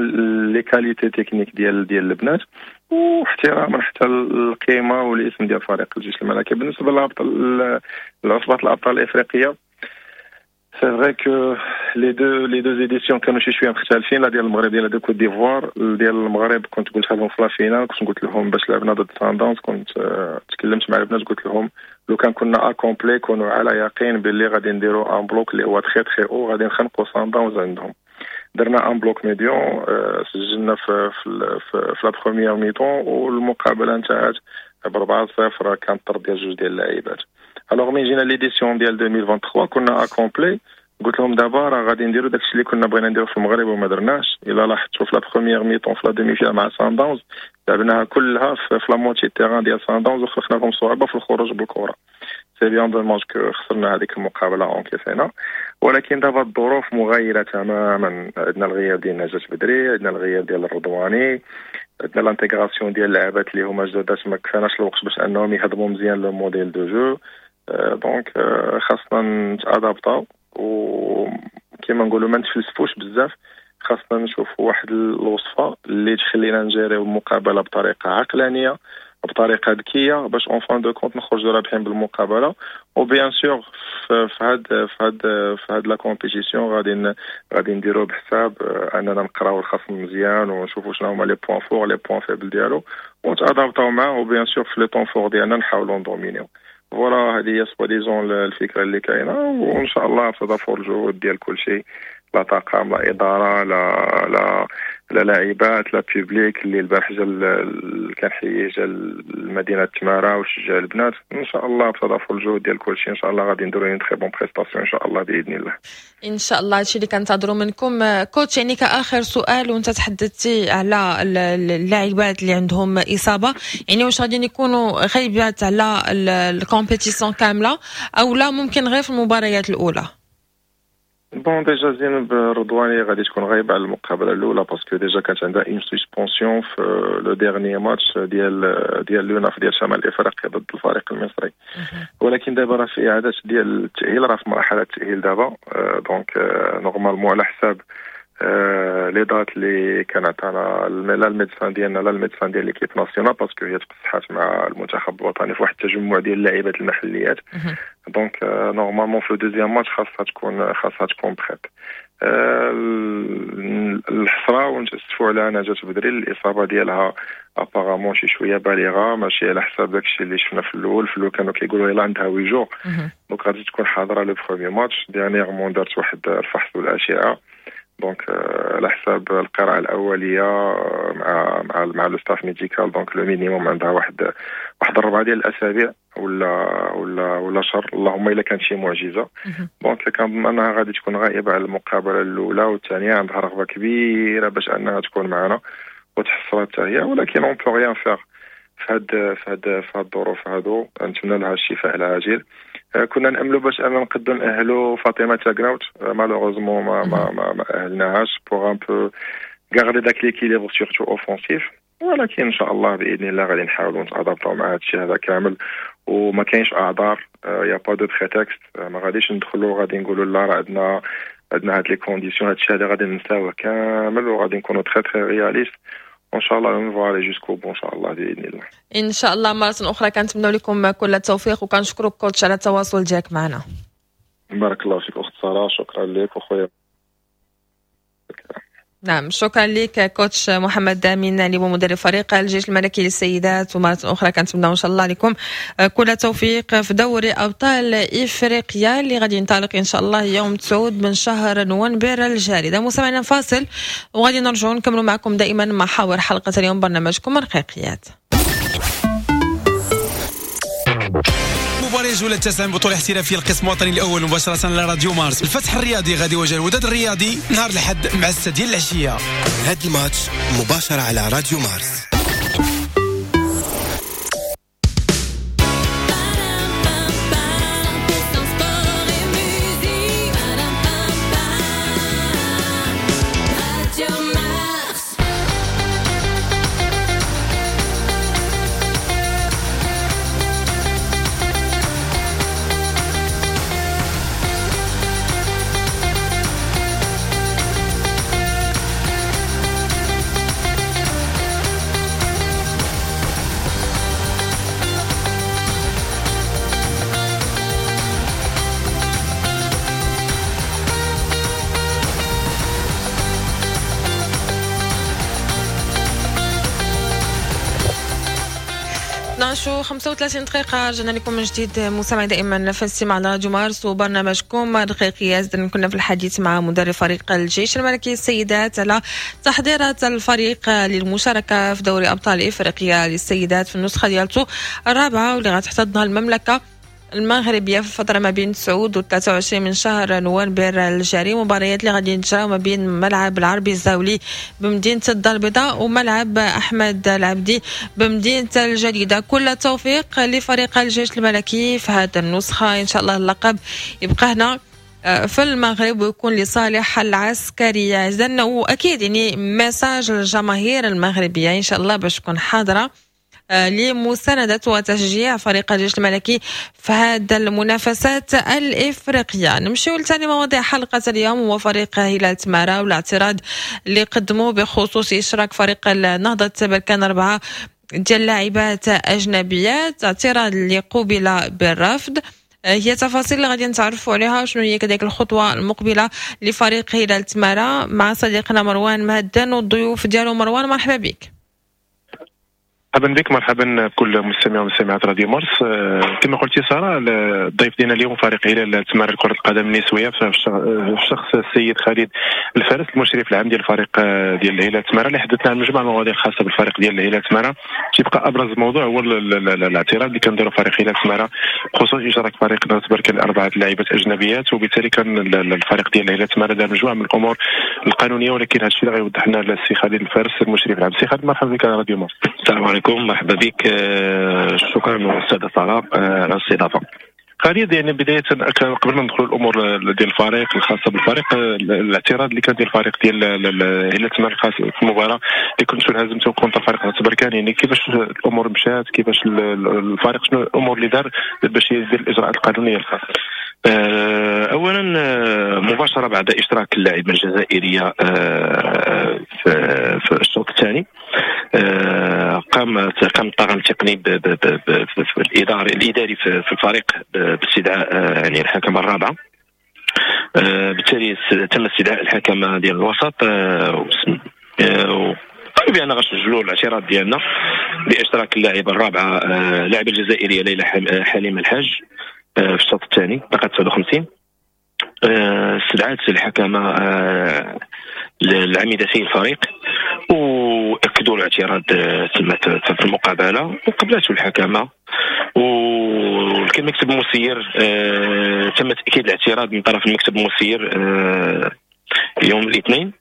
les qualités techniques ديال ديال البنات واحتراما حتى القيمة والاسم ديال فريق الجيش الملكي. بالنسبة للابطال العصبات الابطال الافريقية، c'est vrai que les deux les deux éditions كانوا شي شوية مختلفين، لا ديال المغرب ديال ديال كوت ديفوار. ديال المغرب كنت قلت لهم في la finale، كنت قلت لهم باش لعبنا ضد سانداونز، كنت تكلمت مع البنات قلت لهم لو كان كنا au complet كونوا على يقين باللي غادي نديروا un bloc اللي هو très très haut، غادي نخنقوا سانداونز عندهم. درنا un bloc médian، سجلنا في في في, في la première mi-temps والمقابلة انتهت ب أربعة صفر، كان طرد ديال جوج ديال اللاعبات. alors من جينا l'édition ديال ألفين وثلاثة وعشرين كنا au complet، قلت لهم دابا راه غادي نديرو داكشي اللي كنا بغينا نديرو في المغرب وما درناش. الا لاحظتوا في la première mi-temps في la demi-finale مع سان داونز لعبناها كلها في la moitié terrain ديال سان داونز وخلقنا لهم صعوبة في الخروج بالكرة. c'est bien dommage que خسرنا هذيك المقابلة encaissينا، ولكن دابا الظروف مغايرة تماما. عندنا الغياب ديال نجاة بدري، عندنا الغياب ديال الرضواني، عندنا l'intégration ديال اللعابات اللي هما جدادات، ما كفاناش الوقت باش انهم يهضموا مزيان le modèle de jeu. donc خاصنا نت adaptاو، وكما نقولوا ما نتفلسفوش بزاف، خاصنا نشوفوا واحد الوصفة اللي تخلينا نجريو المقابلة بطريقة عقلانيه، بطريقة ذكيه، باش en fin de compte نخرجوا رابحين بالمقابله. و bien sûr في هاد في هاد في هاد la compétition غادي غادي نديرو بحساب اننا نقراو الخصم مزيان ونشوفوا شنو هما les points forts، les points faibles ديالو، ونت adaptاو معاه، و bien sûr في les temps forts ديالنا نحاولوا ن dominيو. voilà، هذه هي soi-disant الفكرة اللي كاينه، وان شاء الله بتضافر الجهود ديال كل شيء، لا طاقم، لا اداره، لا لا لا لاعبات، لا public اللي البارح جا، كنحيي، جا لمدينة تماره وشجع البنات. ان شاء الله بتضافر الجهود ديال كل شيء ان شاء الله غادي نديرو une très bonne prestation ان شاء الله باذن الله. ان شاء الله، هادشي اللي كنتظروا منكم coach. يعني كاخر سؤال، وانت تحدثتي على اللاعبات اللي عندهم اصابه، يعني واش غادي يكونوا غايبات على ال compétition كاملة او لا ممكن غير في المباريات الاولى؟ bon، déjà زينب رضواني غادي تكون غايبة على المقابلة الاولى parce que déjà كانت عندها une suspension في le dernier match ديال ديال l'UNAF ديال شمال افريقيا ضد الفريق المصري، ولكن دابا راه في اعاده ديال التاهيل، راه في مرحلة التاهيل دابا. donc normalement على حساب les dates اللي كان عطانا لا ال médecin ديالنا لا ال médecin ديال l'équipe nationale، parce que هي تقصحات مع المنتخب الوطني في واحد التجمع ديال اللاعبات المحليات، donc normalement في deuxième match خاصها تكون خاصها تكون prête. الحسرة ونتاسفوا على نجاة بدري، الاصابة ديالها apparemment شي شوية بالغه، ماشي على حساب داكشي اللي شفنا في الاول. في الاول كانوا كيقولوا يلا عندها huit jours، donc غادي تكون حاضره le premier match. dernièrement دارت واحد الفحص والاشعه، donc على حساب القراءة الأولية مع مع مع le staff médical، donc le minimum عندها واحد واحد الربعة ديال الأسابيع ولا ولا ولا شهر، اللهم إلا كانت شي معجزة. donc كنظن أنها غادي تكون غائبة على المقابلة الأولى والثانية. عندها رغبة كبيرة باش أنها تكون معنا وتحصل حتى هي، ولكن on peut rien faire في هاد في هاد في هاد الظروف هادو. نتمنى لها الشفاء العاجل. كنا ناملوا باش اننا نقدروا ناهلوا فاطمة تاكراوت، malheureusement ما ما ما, ما اهلناهاش pour un peu garder داك l'équilibre surtout offensif، ولكن ان شاء الله باذن الله غادي نحاولوا نت adaptاو مع هذا الشيء هذا كامل، وما كاينش اعذار، y a pas de prétexte. ما غاديش ندخلوا غادي نقولوا لا راه عندنا عندنا هاد les conditions. هاد الشيء هذا غادي ننساوه كامل وغادي نكونوا très très réalistes. وان شاء الله on va aller jusqu'au bout ان شاء الله باذن الله. ان شاء الله. مرة اخرى كنتمنى لكم كل التوفيق وكنشكرك coach على التواصل ديالك معنا. بارك الله فيك اخت ساره، شكرا لك وخويا. نعم، شكرا لك coach محمد امين اللي هو مدرب فريق الجيش الملكي للسيدات، ومرة اخرى كنتمنى ان شاء الله لكم كل التوفيق في دوري ابطال افريقيا اللي غادي ينطلق ان شاء الله يوم تسعة من شهر نوفمبر الجاري. اذا مستمعينا، فاصل وغادي نرجعوا نكملوا معكم دائما محاور حلقة اليوم برنامجكم رقيقيات. مباراة الجولة التاسعة من بطولة احترافية القسم الوطني الأول، مباشرة على راديو مارس. الفتح الرياضي غادي يواجه الوداد الرياضي نهار الأحد مع الستة ديال العشية. هذا الماتش مباشرة على راديو مارس. اثنا عشر خمسة وثلاثين دقيقة، رجعنا لكم من جديد مستمعي دائما في الاستماع على راديو مارس وبرنامجكم رقيقيات. كنا في الحديث مع مدرب فريق الجيش الملكي للسيدات على تحضيرات الفريق للمشاركة في دوري أبطال إفريقيا للسيدات في النسخة ديالته الرابعة واللي غتحتضنها المملكة المغربية في الفترة ما بين تسعة و ثلاثة وعشرين من شهر نوفمبر الجاري. مباريات اللي غادي يتجراو ما بين ملعب العربي الزاولي بمدينة الدار البيضاء وملعب احمد العبدي بمدينة الجديدة. كل التوفيق لفريق الجيش الملكي في هذه النسخه، ان شاء الله اللقب يبقى هنا في المغرب ويكون لصالح العسكرية. إذن وأكيد يعني message للجماهير المغربية إن شاء الله باش تكون حاضرة لمساندة وتشجيع فريق الجيش الملكي في هذا المنافسات الإفريقية. نمشيو لثاني مواضيع حلقة اليوم، هو فريق هلال تمارة والاعتراض اللي قدموه بخصوص إشراك فريق نهضة بركان أربعة ديال لاعبات أجنبيات، اعتراض اللي قوبل بالرفض. هي تفاصيل اللي غادي نتعرفوا عليها، شنو هي كذلك الخطوة المقبلة لفريق هلال تمارة مع صديقنا مروان مهدن والضيوف ديالو. مروان مرحبا بك. مرحبا بك، مرحبا بكل مستمع ومستمعات راديو مارس. كما قلتي ساره، الضيف ديالنا اليوم فريق هلال تمارة لكرة القدم النسوية في شخص السيد خالد الفارس المشرف العام ديال الفريق ديال الهلال تمارة، اللي حدثنا عن مجموعة المواضيع الخاصة بالفريق ديال الهلال تمارة. تيبقى ابرز موضوع هو الاعتراض اللي كنديروا فريق هلال تمارة بخصوص اشراك فريق نهضة بركان اربعة لاعبات اجنبيات، وبالتالي كان الفريق ديال الهلال تمارة دار مجموعة من الامور القانونيه، ولكن هذا الشيء اللي غيوضح لنا السي خالد الفارس المشرف العام. سي خالد مرحبا بك على راديو مارس. السلام عليكم، مرحبا بك، شكرا استاذه ساره على الاستضافة. خالد، يعني بداية قبل ما ندخلوا الامور ديال الفريق الخاصة بالفريق، الاعتراض اللي كان ديال الفريق ديال هلال تمارة الخاص في المباراة اللي كنتوا هزمتوا contre فريق نهضة بركان، يعني كيفاش الامور مشات، كيفاش الفريق شنو الامور اللي دار باش يدير الاجراءات القانونية الخاصة؟ اولا مباشرة بعد اشراك اللاعبه الجزائرية في الشوط الثاني، قام قام الطاقم التقني الاداري الاداري في الفريق باستدعاء يعني الحكم الرابعة. بالتالي تم استدعاء الحكم ديال الوسط، وقالوا بان غنسجلوا الاعتراض ديالنا باشراك اللاعبه الرابعة اللاعبه الجزائرية ليلى حليم الحاج في الشوط الثاني دقيقة تسعة وخمسين. استدعت الحكمة العميدتي الفريق واكدوا الاعتراض تم في المقابلة وقبلته الحكمة، والمكتب المسير تم تاكيد الاعتراض من طرف المكتب المسير يوم الاثنين.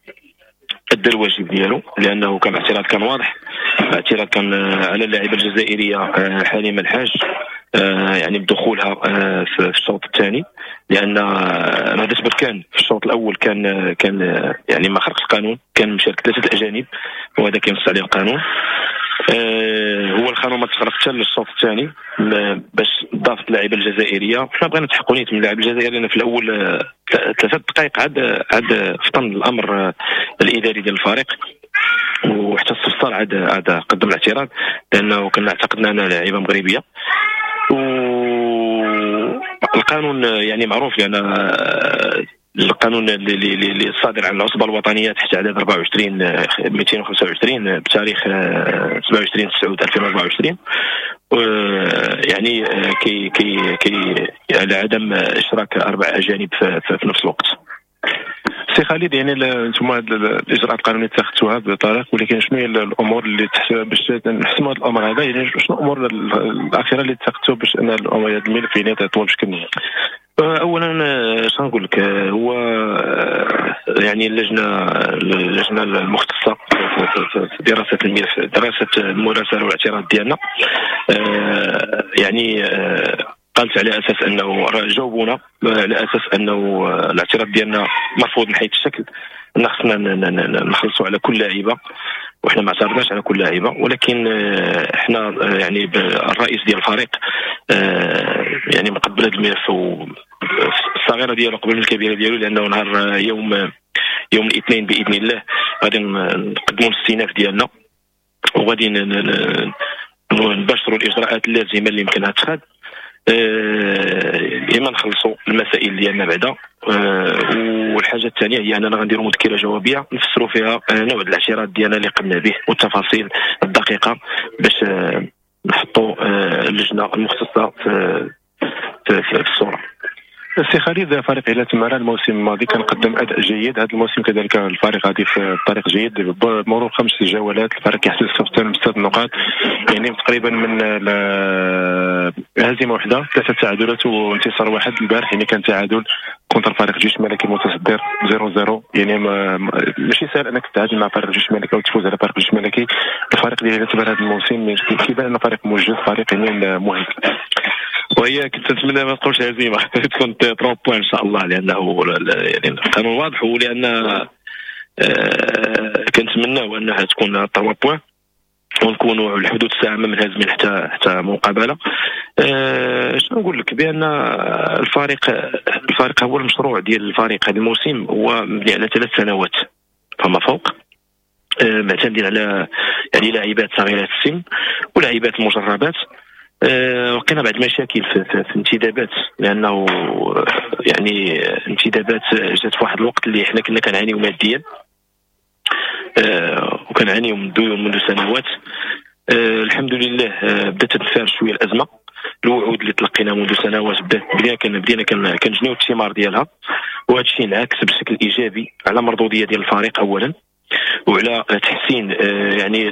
ادى الواجب ديالو لانه كان اعتراض كان واضح، اعتراض كان على اللاعبه الجزائرية حليمة الحاج يعني بدخولها في الشوط الثاني، لان نهضة بركان في الشوط الاول كان كان يعني ما خرقش القانون، كان مشارك ثلاثة الاجانب وهذا كينص عليه القانون. هو القانون ما تخرق حتى للشوط الثاني باش ضافت اللاعبه الجزائرية. حنا بغينا نتحقوا نيت من اللاعب الجزائري لان في الاول ثلاثة دقائق عاد عاد فطن الامر الاداري ديال الفريق، وحتى الصفصال عاد عاد قدم الاعتراض لانه كنا اعتقدنا انها لاعبه مغربية. والقانون يعني معروف، لان القانون اللي الصادر عن العصبة الوطنية تحت عدد أربعة وعشرين مئتين وخمسة وعشرين بتاريخ سبعة وعشرين تسعة ألفين وأربعة وعشرين، يعني كي كي كي على عدم اشراك اربع اجانب في, في نفس الوقت. سي خالد، يعني انتم هاد الاجراءات القانونية اتخذتوها بطريق، ولكن شنو هي الامور اللي باش نحسموا هذا الامر هذا؟ يعني شنو الامور الاخيرة اللي اتخذتوها باش ان هذا الملف يعني يطول بشكل نهائي؟ اولا شنو نقول لك، هو يعني اللجنة اللجنة المختصة في دراسة الملف، دراسة المراسله والاعتراض ديالنا، يعني قالت على اساس انه جاوبونا على اساس انه الاعتراض ديالنا مرفوض من حيث الشكل، ان خصنا نخلصوا على كل لاعيبه، وحنا ما اعترضناش على كل لاعيبه، ولكن احنا يعني الرئيس ديال الفريق يعني مقبل هذا الملف الصغيرة ديالو قبل من الكبيرة ديالو، لانه نهار يوم يوم الاثنين باذن الله غادي نقدموا الاستئناف ديالنا وغادي نباشروا الاجراءات اللازمة اللي يمكنها تتخذ، اما نخلصوا المسائل ديالنا بعدا، والحاجة الثانية هي اننا غنديروا مذكره جوابيه نفسروا فيها نوع الاعتراض ديالنا اللي قمنا به والتفاصيل الدقيقة باش نحطوا اللجنة المختصة في في, في الصورة. السي خالد، فريق هلال تمارة الموسم الماضي كان قدم اداء جيد، هذا الموسم كذلك الفريق غادي في طريق جيد. بمرور خمس جولات الفريق يحصل ستة نقاط، يعني تقريبا من هزيمة واحدة، ثلاثة تعادلات وانتصار واحد البارح، يعني كان تعادل contre فريق الجيش الملكي المتصدر صفر صفر. يعني ماشي سهل انك تتعادل مع فريق الجيش الملكي او تفوز على فريق الجيش الملكي. الفريق ديال هلال تمارة هذا الموسم كيبان انه فريق موجد، فريق يعني مهيكل. وهي كنت نتمنى ما تكونش هزيمة، تكون ثلاثة points ان شاء الله، لانه يعني القانون واضح، ولان آه كنتمناو انها تكون ثلاثة points ونكونوا على حدود الساعة ما منهزمين حتى حتى مقابله. آه شنو نقول لك، بان الفريق الفريق هو المشروع ديال الفريق هذا الموسم هو مبني على ثلاث سنوات فما فوق، آه معتمدين على يعني لاعبات صغيرات السن ولاعبات مجربات. لقينا بعض المشاكل في, في, في الانتدابات، لانه يعني انتدابات جات في واحد الوقت اللي حنا كنا كنعانيو ماديا، أه وكنعانيو من الديون منذ سنوات. أه الحمد لله أه بدات تنفار شوية الازمة، الوعود اللي تلقينا منذ سنوات بدات بدينا بدينا كنجنيو الثمار ديالها، وهذا الشيء انعكس بشكل ايجابي على مردوديه ديال الفريق اولا، وعلى تحسين يعني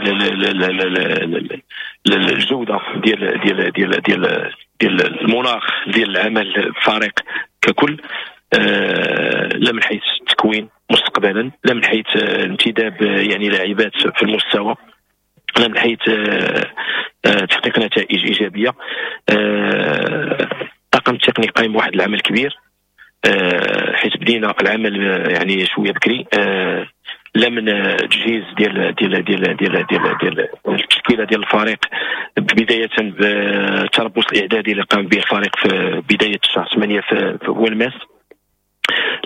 الجودة ديال ديال ديال ديال ديال المناخ ديال العمل الفريق ككل، لا من حيث التكوين مستقبلا، لا من حيث انتداب يعني لاعبات في المستوى، لا من حيث تحقيق نتائج ايجابية. الطاقم التقني قايم بواحد العمل كبير، حيث بدينا العمل يعني شوية بكري، لا من تجهيز ديال ديال ديال ديال ديال ديال التشكيلة ديال الفريق، بداية بالتربص الاعدادي اللي قام به الفريق في بداية شهر ثمانية في والماس،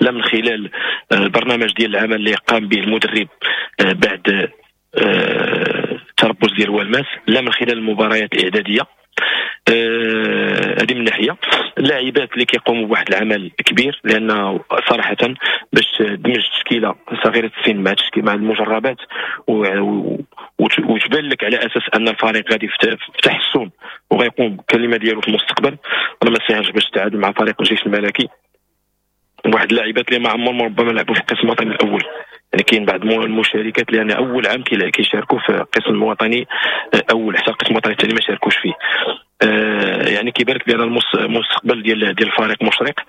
لا من خلال البرنامج ديال العمل اللي قام به المدرب بعد التربص ديال والماس، لا من خلال المباريات الاعدادية. هذه من ناحية. اللاعبات اللي كيقوموا بواحد العمل كبير، لان صراحة باش تدمج تشكيله صغيرة السن مع تشكيله مع المجربات وتبان لك على اساس ان الفريق غادي في تحسن وغيقوم بالكلمة ديالو في المستقبل، راه ما ساهلش باش تعادل مع فريق الجيش الملكي، واحد اللاعبات اللي ما عمرهم ربما لعبوا في القسم الوطني الاول. يعني كاين بعض المشاركات لان اول عام كيشاركوا في القسم الوطني اول، حتى القسم الوطني الثاني ما شاركوش فيه. آه يعني كيبان لك بان المستقبل ديال ديال الفريق مشرق.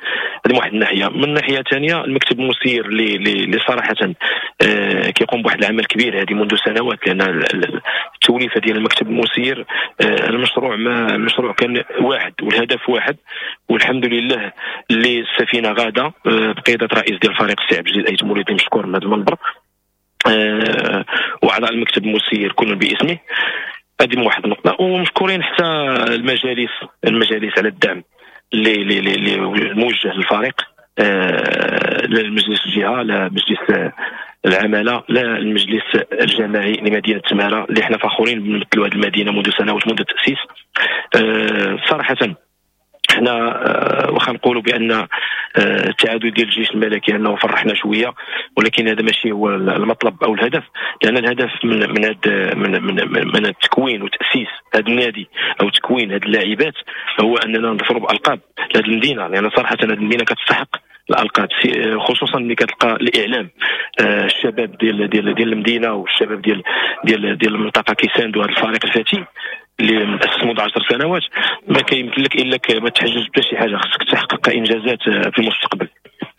هذه من واحد الناحية. من ناحية ثانية المكتب المسير اللي اللي صراحة آه كيقوم بواحد العمل كبير هذه منذ سنوات، لان التوليفه ديال المكتب المسير آه المشروع ما المشروع كان واحد والهدف واحد، والحمد لله اللي السفينة غاده آه بقيادة رئيس ديال الفريق السي عبد الجليل ايت موليدي مشكور من هذا المنبر، آه واعضاء المكتب المسير كل باسمه. هذه من واحد النقطة. ومشكورين حتى المجالس المجالس على الدعم اللي اللي اللي الموجه للفريق، آه لا المجلس الجهة، لا مجلس العمالة، لا المجلس الجماعي لمدينة تماره اللي حنا فخورين بنمثلوا هذه المدينة منذ سنوات منذ التاسيس. آه صراحة حنا واخا نقولوا بان التعادل ديال الجيش الملكي انه فرحنا شوية، ولكن هذا ماشي هو المطلب او الهدف، لان الهدف من من هذا من من من التكوين وتاسيس هذا النادي او تكوين هذه اللاعبات هو اننا نظفروا بالقاب لهذه المدينة، لان صراحة هذه المدينة كتستحق الالقاب، خصوصا ملي كتلقى الاعلام الشباب ديال ديال ديال المدينة والشباب ديال ديال ديال المنطقة كيساندوا هذا الفريق الفتي اللي مؤسس منذ عشر سنوات. ما كيمكن لك الا ما تحجج بتا شي حاجة، خصك تحقق انجازات في المستقبل.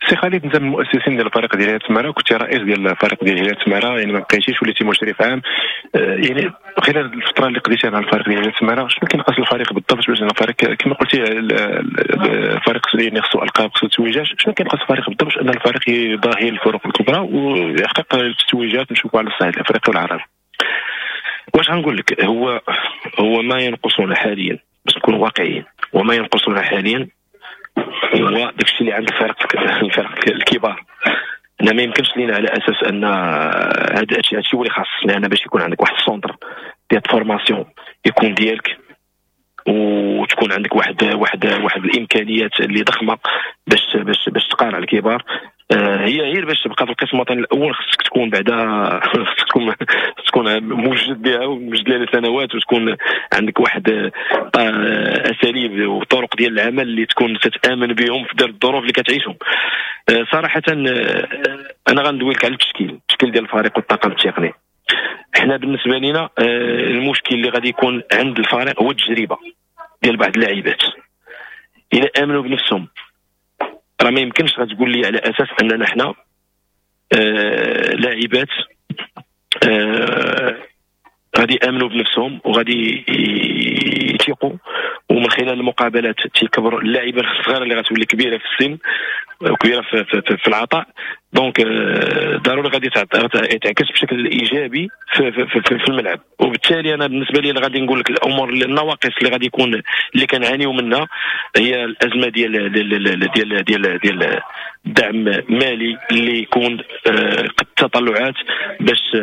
سي خالد، انت من المؤسسين ديال الفريق ديال هلال تمارة، كنت رئيس ديال الفريق ديال هلال تمارة، يعني ما بقيتيش وليتي مشرف عام، يعني خلال الفترة اللي قضيتها مع الفريق ديال هلال تمارة شنو كينقص الفريق بالضبط باش الفريق كما قلتي الفريق يعني خصو القاب، خصو تتويجات، شنو كينقص الفريق بالضبط باش ان الفريق يضاهي الفرق الكبرى ويحقق التتويجات نشوفوا على الصعيد الافريقي والعربي؟ واش غنقول لك، هو هو ما ينقصنا حاليا باش نكونوا واقعيين، وما ينقصنا حاليا هو داكشي اللي عند الفرق الفرق الكبار. انا ما يمكنش لينا على اساس ان هذا الشيء هو اللي خاص، لان باش يكون عندك واحد ال centre ديال formation يكون ديالك وتكون عندك واحد واحد واحد الامكانيات اللي ضخمة باش باش باش تقارع الكبار، هي غير باش تبقى في القسم الوطني الاول خصك تكون بعدا خصك تكون تكون موجد بها وموجد لها سنوات، وتكون عندك واحد اساليب وطرق ديال العمل اللي تكون تتامن بهم في دار الظروف اللي كتعيشهم. صراحة انا غندوي لك على التشكيل، التشكيل ديال الفريق والطاقم التقني. حنا بالنسبة لنا المشكل اللي غادي يكون عند الفريق هو التجربة ديال بعض اللاعبات. الا امنوا بنفسهم راه ما يمكنش غتقول لي على اساس اننا حنا آه لاعبات آه غادي يامنوا بنفسهم وغادي يثيقوا، ومن خلال المقابلات تيكبر اللاعبه الصغيرة اللي غتولي كبيرة في السن وكبيره في, في, في العطاء. donc ضروري غادي تعكس بشكل ايجابي في, في, في, في الملعب. وبالتالي انا بالنسبة لي غادي نقول لك الامور النواقص اللي غادي يكون اللي كنعانيو منها هي الازمة ديال ديال ديال ديال ديال الدعم مالي اللي يكون قد التطلعات باش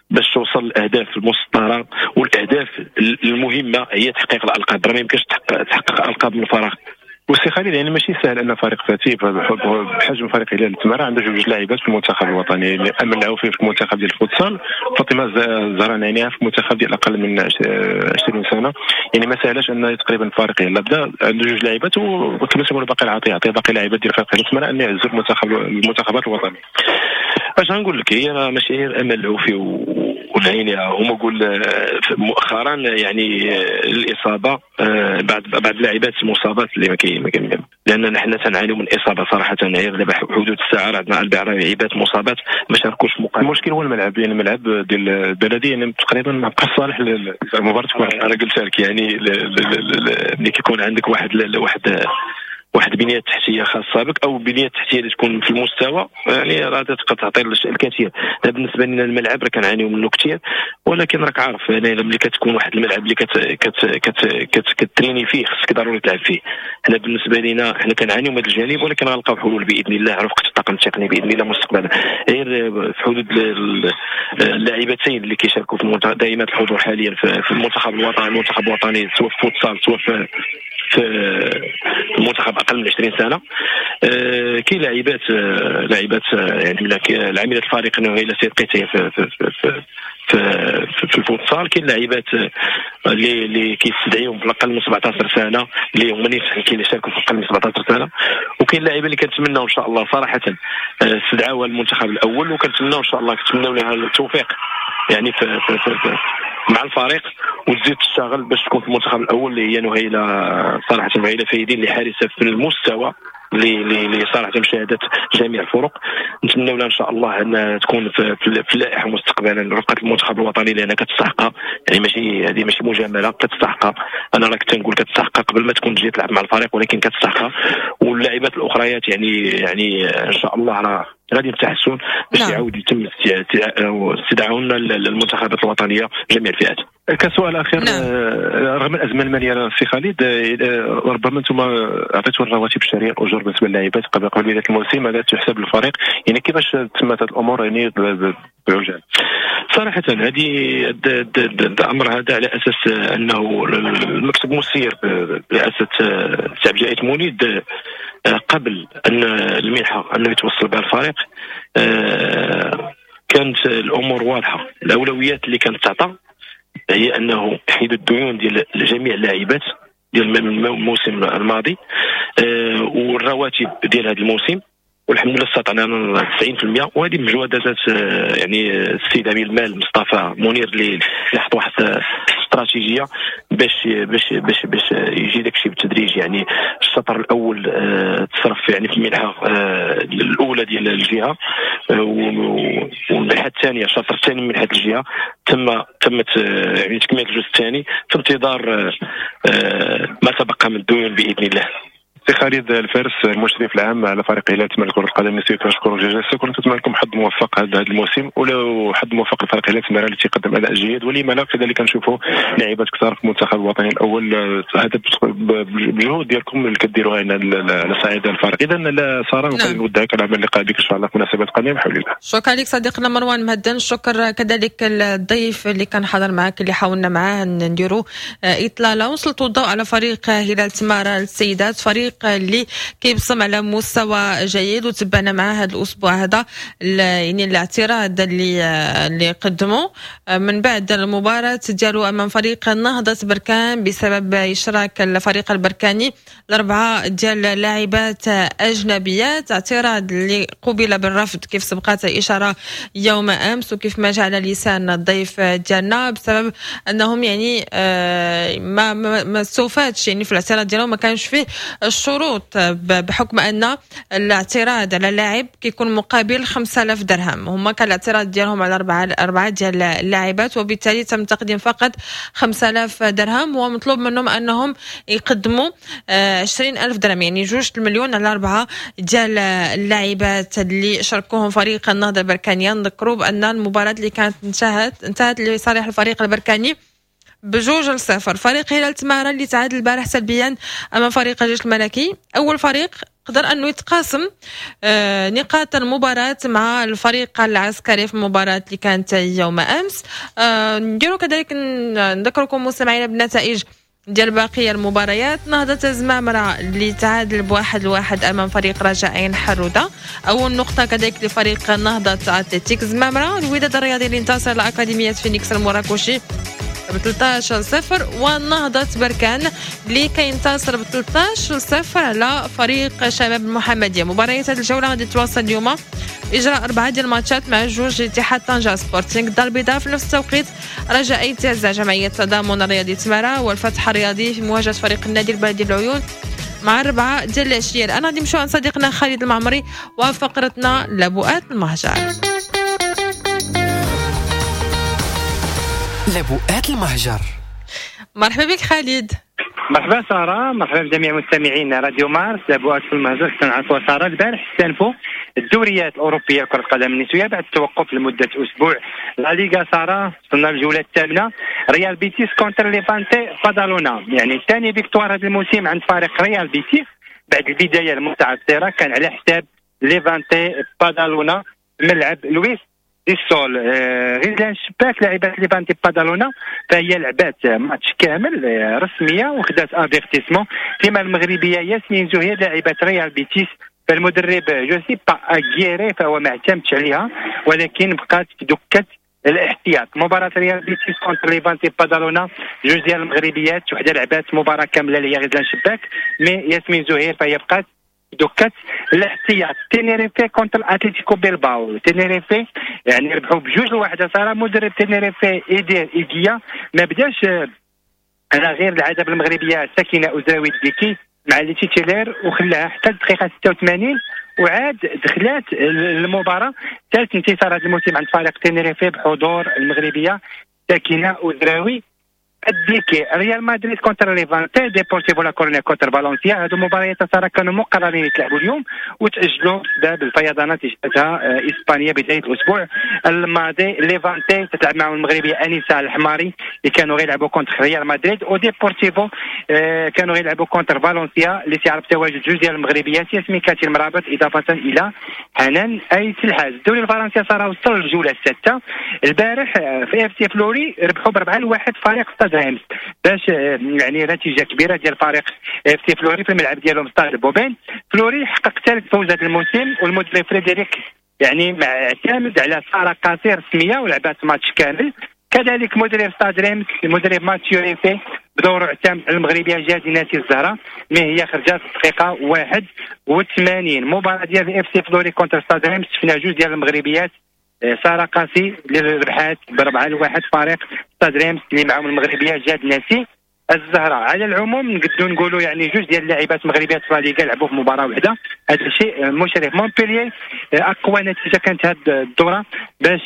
باش توصل الاهداف المسطره، والاهداف المهمة هي تحقيق الالقاب. راه ما يمكنش تحقق القاب من الفراغ. وسي خالد يعني ماشي سهل ان فريق فاتي بحجم فريق هلال تمارة عنده جوج لاعبات في المنتخب الوطني، امل العوفي في المنتخب ديال الفوتسال، فاطمة الزهراء عينيها في المنتخب ديال اقل من عشرين سنة. يعني ما سهلاش ان تقريبا فريق يلا بدا عنده جوج لاعبات، وكما تنقولوا باقي العطية عطية باقي لاعبات ديال فريق هلال تمارة ان يعزوا المنتخب المنتخبات الوطنية. اش غنقول لك، هي راه ماشي غير امل العوفي والعينيها، هما قول مؤخرا يعني الاصابة بعد بعد اللاعبات المصابات اللي ما كاين لان حنا تنعانيو من اصابه صراحة. غير دابا حدود الساعة راه عندنا اربع لاعبات مصابات ما شاركوش في مقابله. المشكل هو الملعب، يعني الملعب ديال البلدية يعني تقريبا ما بقاش صالح للمباراة. انا قلت لك يعني ملي كيكون عندك واحد واحد واحد البنية التحتية خاصة بك او البنية التحتية اللي تكون في المستوى، يعني راه تقدر تعطي الكثير. بالنسبة لنا الملعب راه كنعانيو منه كثير، ولكن راك عارف يعني ملي كتكون واحد الملعب اللي كت كت كت كت كتريني فيه خصك ضروري تلعب فيه. حنا بالنسبة لنا حنا كنعانيو من هذا الجانب، ولكن غنلقاو حلول باذن الله رفقه الطاقم التقني باذن الله مستقبلا. غير في حدود اللاعبتين اللي كيشاركوا في المنتخب دائما الحضور حاليا في المنتخب الوطني، المنتخب الوطني سواء في فوتسال سواء في في المنتخب اقل من عشرين سنة. آه كاين لاعبات آه لاعبات آه يعني العاملة الفريق نهيلة سيد قيتيه في في في في, في الفوتسال. كاين لاعبات اللي اللي كيستدعيهم في اقل من سبعطاش سنة اللي هما كيشاركوا في اقل من سبعطاش سنة، وكاين لاعبه اللي كنتمناو ان شاء الله صراحة استدعاوها المنتخب الاول، وكنتمناو ان شاء الله كنتمناو لها التوفيق يعني في, في, في, في مع الفريق وتزيد تشتغل باش تكون في المنتخب الاول، اللي هي نهيلة صراحة نهيلة فايدين اللي حارسه في المستوى اللي اللي صراحة مشاهده جميع الفرق. نتمنوا لها ان شاء الله ان تكون في, في اللائحة مستقبلا رفقه المنتخب الوطني، لان كتستحقها، يعني ماشي هذه ماشي مجاملة، كتستحقها. انا راه كنت نقول كتستحقها قبل ما تكون تجي تلعب مع الفريق، ولكن كتستحقها. واللاعبات الاخريات يعني يعني ان شاء الله راه غادي نتحسن باش يعاود يتم استدعاؤنا للمنتخبات الوطنية جميع الفئات. كسؤال اخير، نعم. رغم الازمة المالية سي خالد، ربما انتم عطيتوا الرواتب الشهرية الاجور بالنسبة للاعبات قبل قبل بداية الموسم، هذا تحسب للفريق، يعني كيفاش تمت هذه الامور يعني بعجاله؟ صراحة هذه الامر هذا على اساس انه المكتب المسير برئاسة سي عبد الجليل منيد قبل ان المنحة انه يتوصل بها الفريق كانت الامور واضحة. الاولويات اللي كانت تعطى هي انه يحيدوا الديون ديال جميع اللاعبات ديال الموسم الماضي والرواتب ديال هذا الموسم، والحمد لله استطعنا تسعين بالمئة. وهذه مجهودات يعني السيد امين المال مصطفى منير اللي حط واحد استراتيجية باش باش باش باش يجي داكشي بالتدريج. يعني الشطر الاول تصرف يعني في المنحة الاولى ديال الجهة، والمنحه الثانية الشطر الثاني من منحه الجهة تم تمت يعني تكمله الجزء الثاني في انتظار ما تبقى من الديون باذن الله. سي خالد الفارس المشرف العام على فريق هلال تمارة كرة القدم النسائية، كنشكرك جزيلا. كنتمنى لكم حظ موفق هذا الموسم، ولو حظ موفق لفريق هلال تمارة اللي تيقدم اداء جيد، ولما لا كذلك نشوفوا لاعبات كثار في المنتخب الوطني الاول. هذا بالجهود ديالكم اللي كديروها على صعيد الفريق. اذا لا ساره، نعم. نودعك على اللقاء بك ان شاء الله في مناسبات قادمة بحول الله. شكرا لك صديقنا مروان مهدن، شكرا كذلك الضيف اللي كان حاضر معك اللي حاولنا معاه نديروا اطلالة وسلطوا الضوء على فريق هلال تمارة السيدات، فريق فريق اللي كيبصم على مستوى جيد، وتبعنا معاه هذا الاسبوع هذا يعني الاعتراض اللي اللي قدموا من بعد المباراة ديالو امام فريق نهضة بركان بسبب اشراك الفريق البركاني الاربعة ديال اللاعبات اجنبيات، اعتراض اللي قبل بالرفض كيف سبقت الاشارة يوم امس وكيف ما جاء على لسان الضيف ديالنا، بسبب انهم يعني ما ما استوفاتش يعني في الاعتراض ديالهم ما كانش فيه الشروط، بحكم ان الاعتراض على اللاعب كيكون مقابل خمسة آلاف درهم، هما كان الاعتراض ديالهم على اربعة اربعة ديال اللاعبات، وبالتالي تم تقديم فقط خمسة آلاف درهم، ومطلوب منهم انهم يقدموا عشرين ألف درهم، يعني جوج المليون على اربعة ديال اللاعبات اللي شاركوهم فريق النهضة البركانيه. نذكروا بان المباراة اللي كانت انتهت انتهت لصالح الفريق البركاني بجوج لصفر. فريق هلال تمارا اللي تعادل البارح سلبيا امام فريق الجيش الملكي، اول فريق قدر انه يتقاسم نقاط المباراة مع الفريق العسكري في المباراة اللي كانت يوم امس. نديروا كذلك نذكركم مستمعينا بالنتائج ديال باقي المباريات. نهضة زمامرة اللي تعادل بواحد لواحد امام فريق رجاء عين حرودة، اول نقطة كذلك لفريق نهضة اتلتيك زمامرة. الوداد الرياضي اللي انتصر على اكاديمية فينيكس المراكشي ب ثلاثة عشر صفر، ونهضة بركان اللي كينتصر ب ثلاثة عشر صفر على فريق شباب المحمدية. مباريات هذه الجولة غادي تواصل اليوم إجراء أربعة ديال الماتشات مع جوج اتحاد طنجة سبورتينغ الدار البيضاء، في نفس التوقيت رجاء ايتازا جمعية تضامن الرياضي تمارا، والفتح الرياضي في مواجهة فريق النادي البلدي العيون مع أربعة ديال العشية. الآن غادي نمشيو عند صديقنا خالد المعمري وفقرتنا لبؤات المهجر. لبؤات المهجر. مرحبا بك خالد. مرحبا سارة، مرحبا بجميع مستمعين راديو مارس. لبؤات في المهجر كنعرفوا سارة البارح استأنفوا الدوريات الأوروبية لكرة القدم النسوية بعد التوقف لمدة أسبوع. لا ليغا سارة وصلنا للجولة الثامنة، ريال بيتيس contre ليفانتي بادالونا، يعني ثاني victoire هذا الموسم عند فريق ريال بيتيس بعد البداية المتعثرة كان على حساب ليفانتي بادالونا ملعب لويس دي سول. غزلان شباك لاعبات ليفانتي بادالونا فهي لعبات ماتش كامل رسمية وخدات افيرتيسمون، فيما المغربية ياسمين زهير لاعبات ريال بيتيس فالمدرب جوزيب اغيري فهو ما اعتمدش عليها ولكن بقات في دكه الاحتياط. مباراة ريال بيتيس contre ليفانتي بادالونا جوج ديال المغربيات، وحده لعبات مباراة كاملة اللي هي غزلان شباك، mais ياسمين زهير فهي بقات دكات الاحتياط. تينيريفي contre اتلتيكو بيلباو، تينيريفي يعني ربحوا بجوج لواحد. صار مدرب تينيريفي ايدير ايديا ما بداش على غير العادة بالمغربيه ساكنة ازراوي الديكي مع les titulaires وخلاها حتى الدقيقة ستة وثمانين وعاد دخلات المباراة. ثالث انتصار هذا الموسم عند فريق تينيريفي بحضور المغربية ساكنة ازراوي الديكي. ريال مدريد contre ليفانتي، ديبورتيفو لا كورونيا contre فالنسيا، هادو مباريات ترى كانوا مقررين يتلعبوا اليوم وتاجلوا بسبب الفيضانات اللي شهدتها اسبانيا بداية الاسبوع الماضي. ليفانتي تتلعب معهم المغربية انيسة الحماري اللي كانوا غيلعبوا contre ريال مدريد، وديبورتيفو كانوا غيلعبوا contre فالنسيا اللي تيعرف تواجد جوج ديال المغربيات ياسمين كاتي المرابط اضافه الى حنان ايت الحاج. الدوري الفرنسي صار وصل للجوله السادسة البارح في اف سي فلوري ربحوا بأربعة لواحد فريق ستاد ريمس، باش يعني نتيجة كبيرة ديال فريق اف سي فلوري في الملعب ديالهم ستاد بوبين. فلوري حقق ثالث فوز هذا الموسم، والمدرب فريدريك يعني اعتمد على ساره قصير رسمية ولعبات ماتش كامل. كذلك مدرب ستاد ريمس المدرب ماتيو ريفي بدوره اعتمد على المغربية جادي ناسي الزهرة، mais هي خرجت في الدقيقة واحد وثمانين. مباراة ديال اف سي فلوري contre ستاد ريمس شفنا جوج ديال المغربيات، ساره قاسي اللي ربحات بربعه لواحد فريق ستاد ريمس اللي معاهم المغربية جاد ناسي الزهرة. على العموم نقدروا نقولوا يعني جوج ديال اللاعبات مغربيات في ليغا لعبوا في مباراة واحدة، هذا شيء مشرف. مونبليي اقوى نتيجة كانت هذه الدورة باش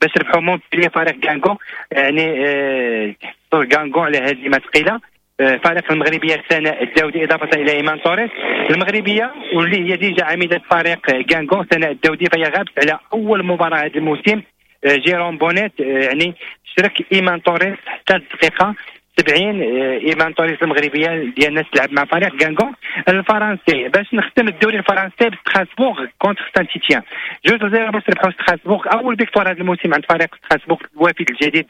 باش ربحوا مونبليي فريق كانغو، يعني حصلوا كانغو على هزيمة ثقيلة. فريق المغربية سناء الداودي اضافه الى ايمان توريس المغربية واللي هي déjà عميده فريق كانغو سناء الداودي، فهي غابت على اول مباراة هذا الموسم. جيرون بونيت يعني شرك ايمان توريس حتى الدقيقة سبعين. ايمان توريس المغربية ديالنا تلعب مع فريق كانغو الفرنسي. باش نختم الدوري الفرنسي بستراسبورغ contre سان تيتيان، جوج لزيرو باش ربحوا ستراسبورغ، اول victoire هذا الموسم عند فريق ستراسبورغ الوافد الجديد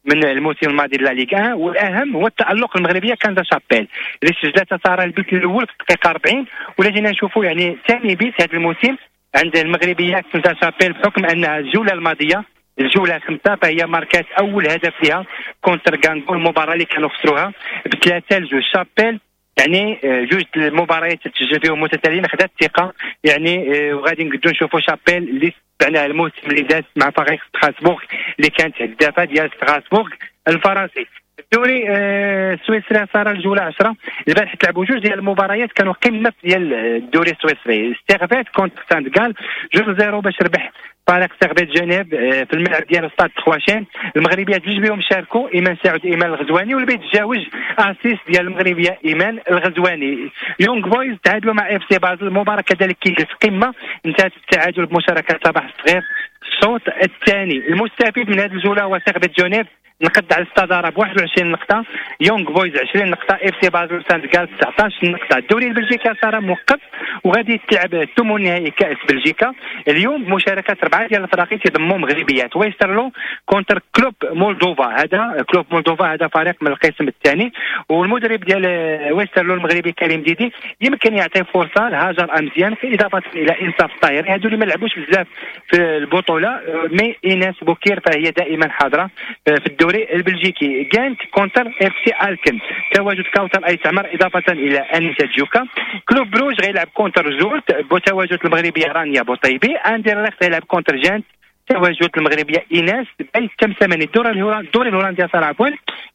من الموسم الماضي لا ليغ واحد. والاهم هو التالق المغربية كنزا شابيل اللي سجلت ساره البيت الاول في الدقيقة أربعين، ولا جينا نشوفوا يعني ثاني بيت هذا الموسم عند المغربية كنزا شابيل، بحكم انها الجولة الماضية الجولة خمسة فهي ماركات اول هدف لها contre غانغو، المباراة اللي كانوا خسروها بثلاثة لجوج. شابيل يعني جوج المباريات تسجل فيهم متتاليين، خدات الثقة يعني، وغادي نقدروا نشوفوا شابيل اللي تبعناها الموسم اللي داز مع فريق ستراسبورغ اللي كانت هدافه ديال ستراسبورغ الفرنسي. الدوري السويسري صار الجولة عشرة، البارح تلعبوا جوج ديال المباريات كانوا قمة ديال الدوري السويسري، سيرفيت contre سانت غال جوج zéro باش ربح فريق سيرفيت جنيف في الملعب ديال ستاد تخواشين. المغربيات جوج بهم شاركوا، ايمان سعود ايمان الغزواني، والبيت الجاوج assist ديال المغربية ايمان الغزواني. يونغ بويز تعادلوا مع اف سي بازل، المباراة كذلك كيجلس قمة، انتهت بالتعادل بمشاركة صباح الصغير الشوط الثاني. المستفيد من هذه الجولة هو سيرفيت جنيف، نقد على الصدارة ب واحد وعشرين نقطة، يونغ بويز عشرين نقطة، اف سي بازل سانت غال تسعطاش نقطة. الدوري البلجيكي صار موقف وغادي تلعب الثمن النهائي كاس بلجيكا اليوم بمشاركة اربعة ديال الفرق تيضموا مغربيات. ويسترلو contre كلوب مولدوفا، هذا كلوب مولدوفا هذا فريق من القسم الثاني، والمدرب ديال ويسترلو المغربي كريم ديدي يمكن يعطي فرصة لهاجر امزيان في اضافه الى انصاف الطاهري، هادو اللي ما لعبوش بزاف في البطولة، mais ايناس بوكير فهي دائما حاضره في الدوري البلجيكي. جانت contre اف سي الكن، تواجد كوثر اي تعمر اضافه الى انيسة جوكا. كلوب بروج غيلعب contre زولت بتواجد المغربية رانيا بوطيبي. اندرلخت غيلعب contre جانت، تواجد المغربية ايناس باي تمسماني. الدوري الدوري الهولندي صار عفوا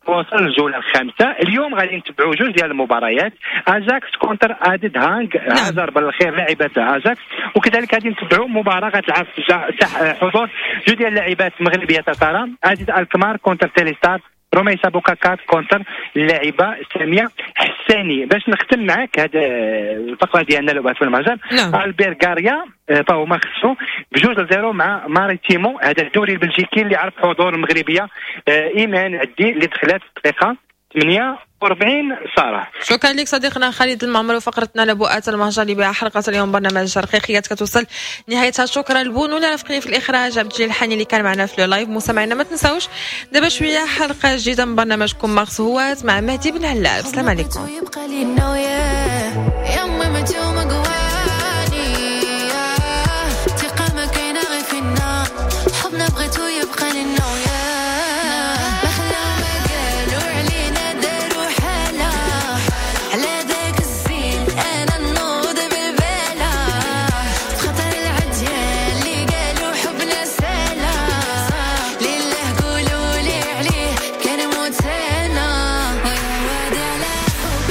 وصل للجوله الخامسة. اليوم غادي نتبعوا جوج ديال المباريات، اجاكس contre اديد هانغ، هاجر بالخير لاعبات اجاكس، وكذلك غادي نتبعوا مباراة غتلعب حضور جوج ديال اللاعبات المغربية تتارا، اديد الكمار contre تيليستار، روميسا بوكاكات contre اللاعبه سامية حساني. باش نختم معاك هذا الفقرة ديالنا لعبه في المهجر، نعم. البير غاريا فهما خسروا بجوج ل zéro مع ماريتيمو، هذا الدوري البلجيكي اللي عرف حضور المغربية ايمان عدي اللي دخلت في الدقيقة ثمانية وأربعين. ساره شكرا لك صديقنا خالد المعمر وفقرتنا لبؤات المهجر اللي بها حلقة اليوم برنامج رقيقيات كتوصل نهايتها. شكرا لبونو اللي رافقني في الاخراج، عبد الجليل الحاني اللي كان معنا في live. مستمعينا ما تنساوش دابا شوية حلقة جديدة من برنامجكم مارس هوات مع مهدي بن علاب. السلام عليكم.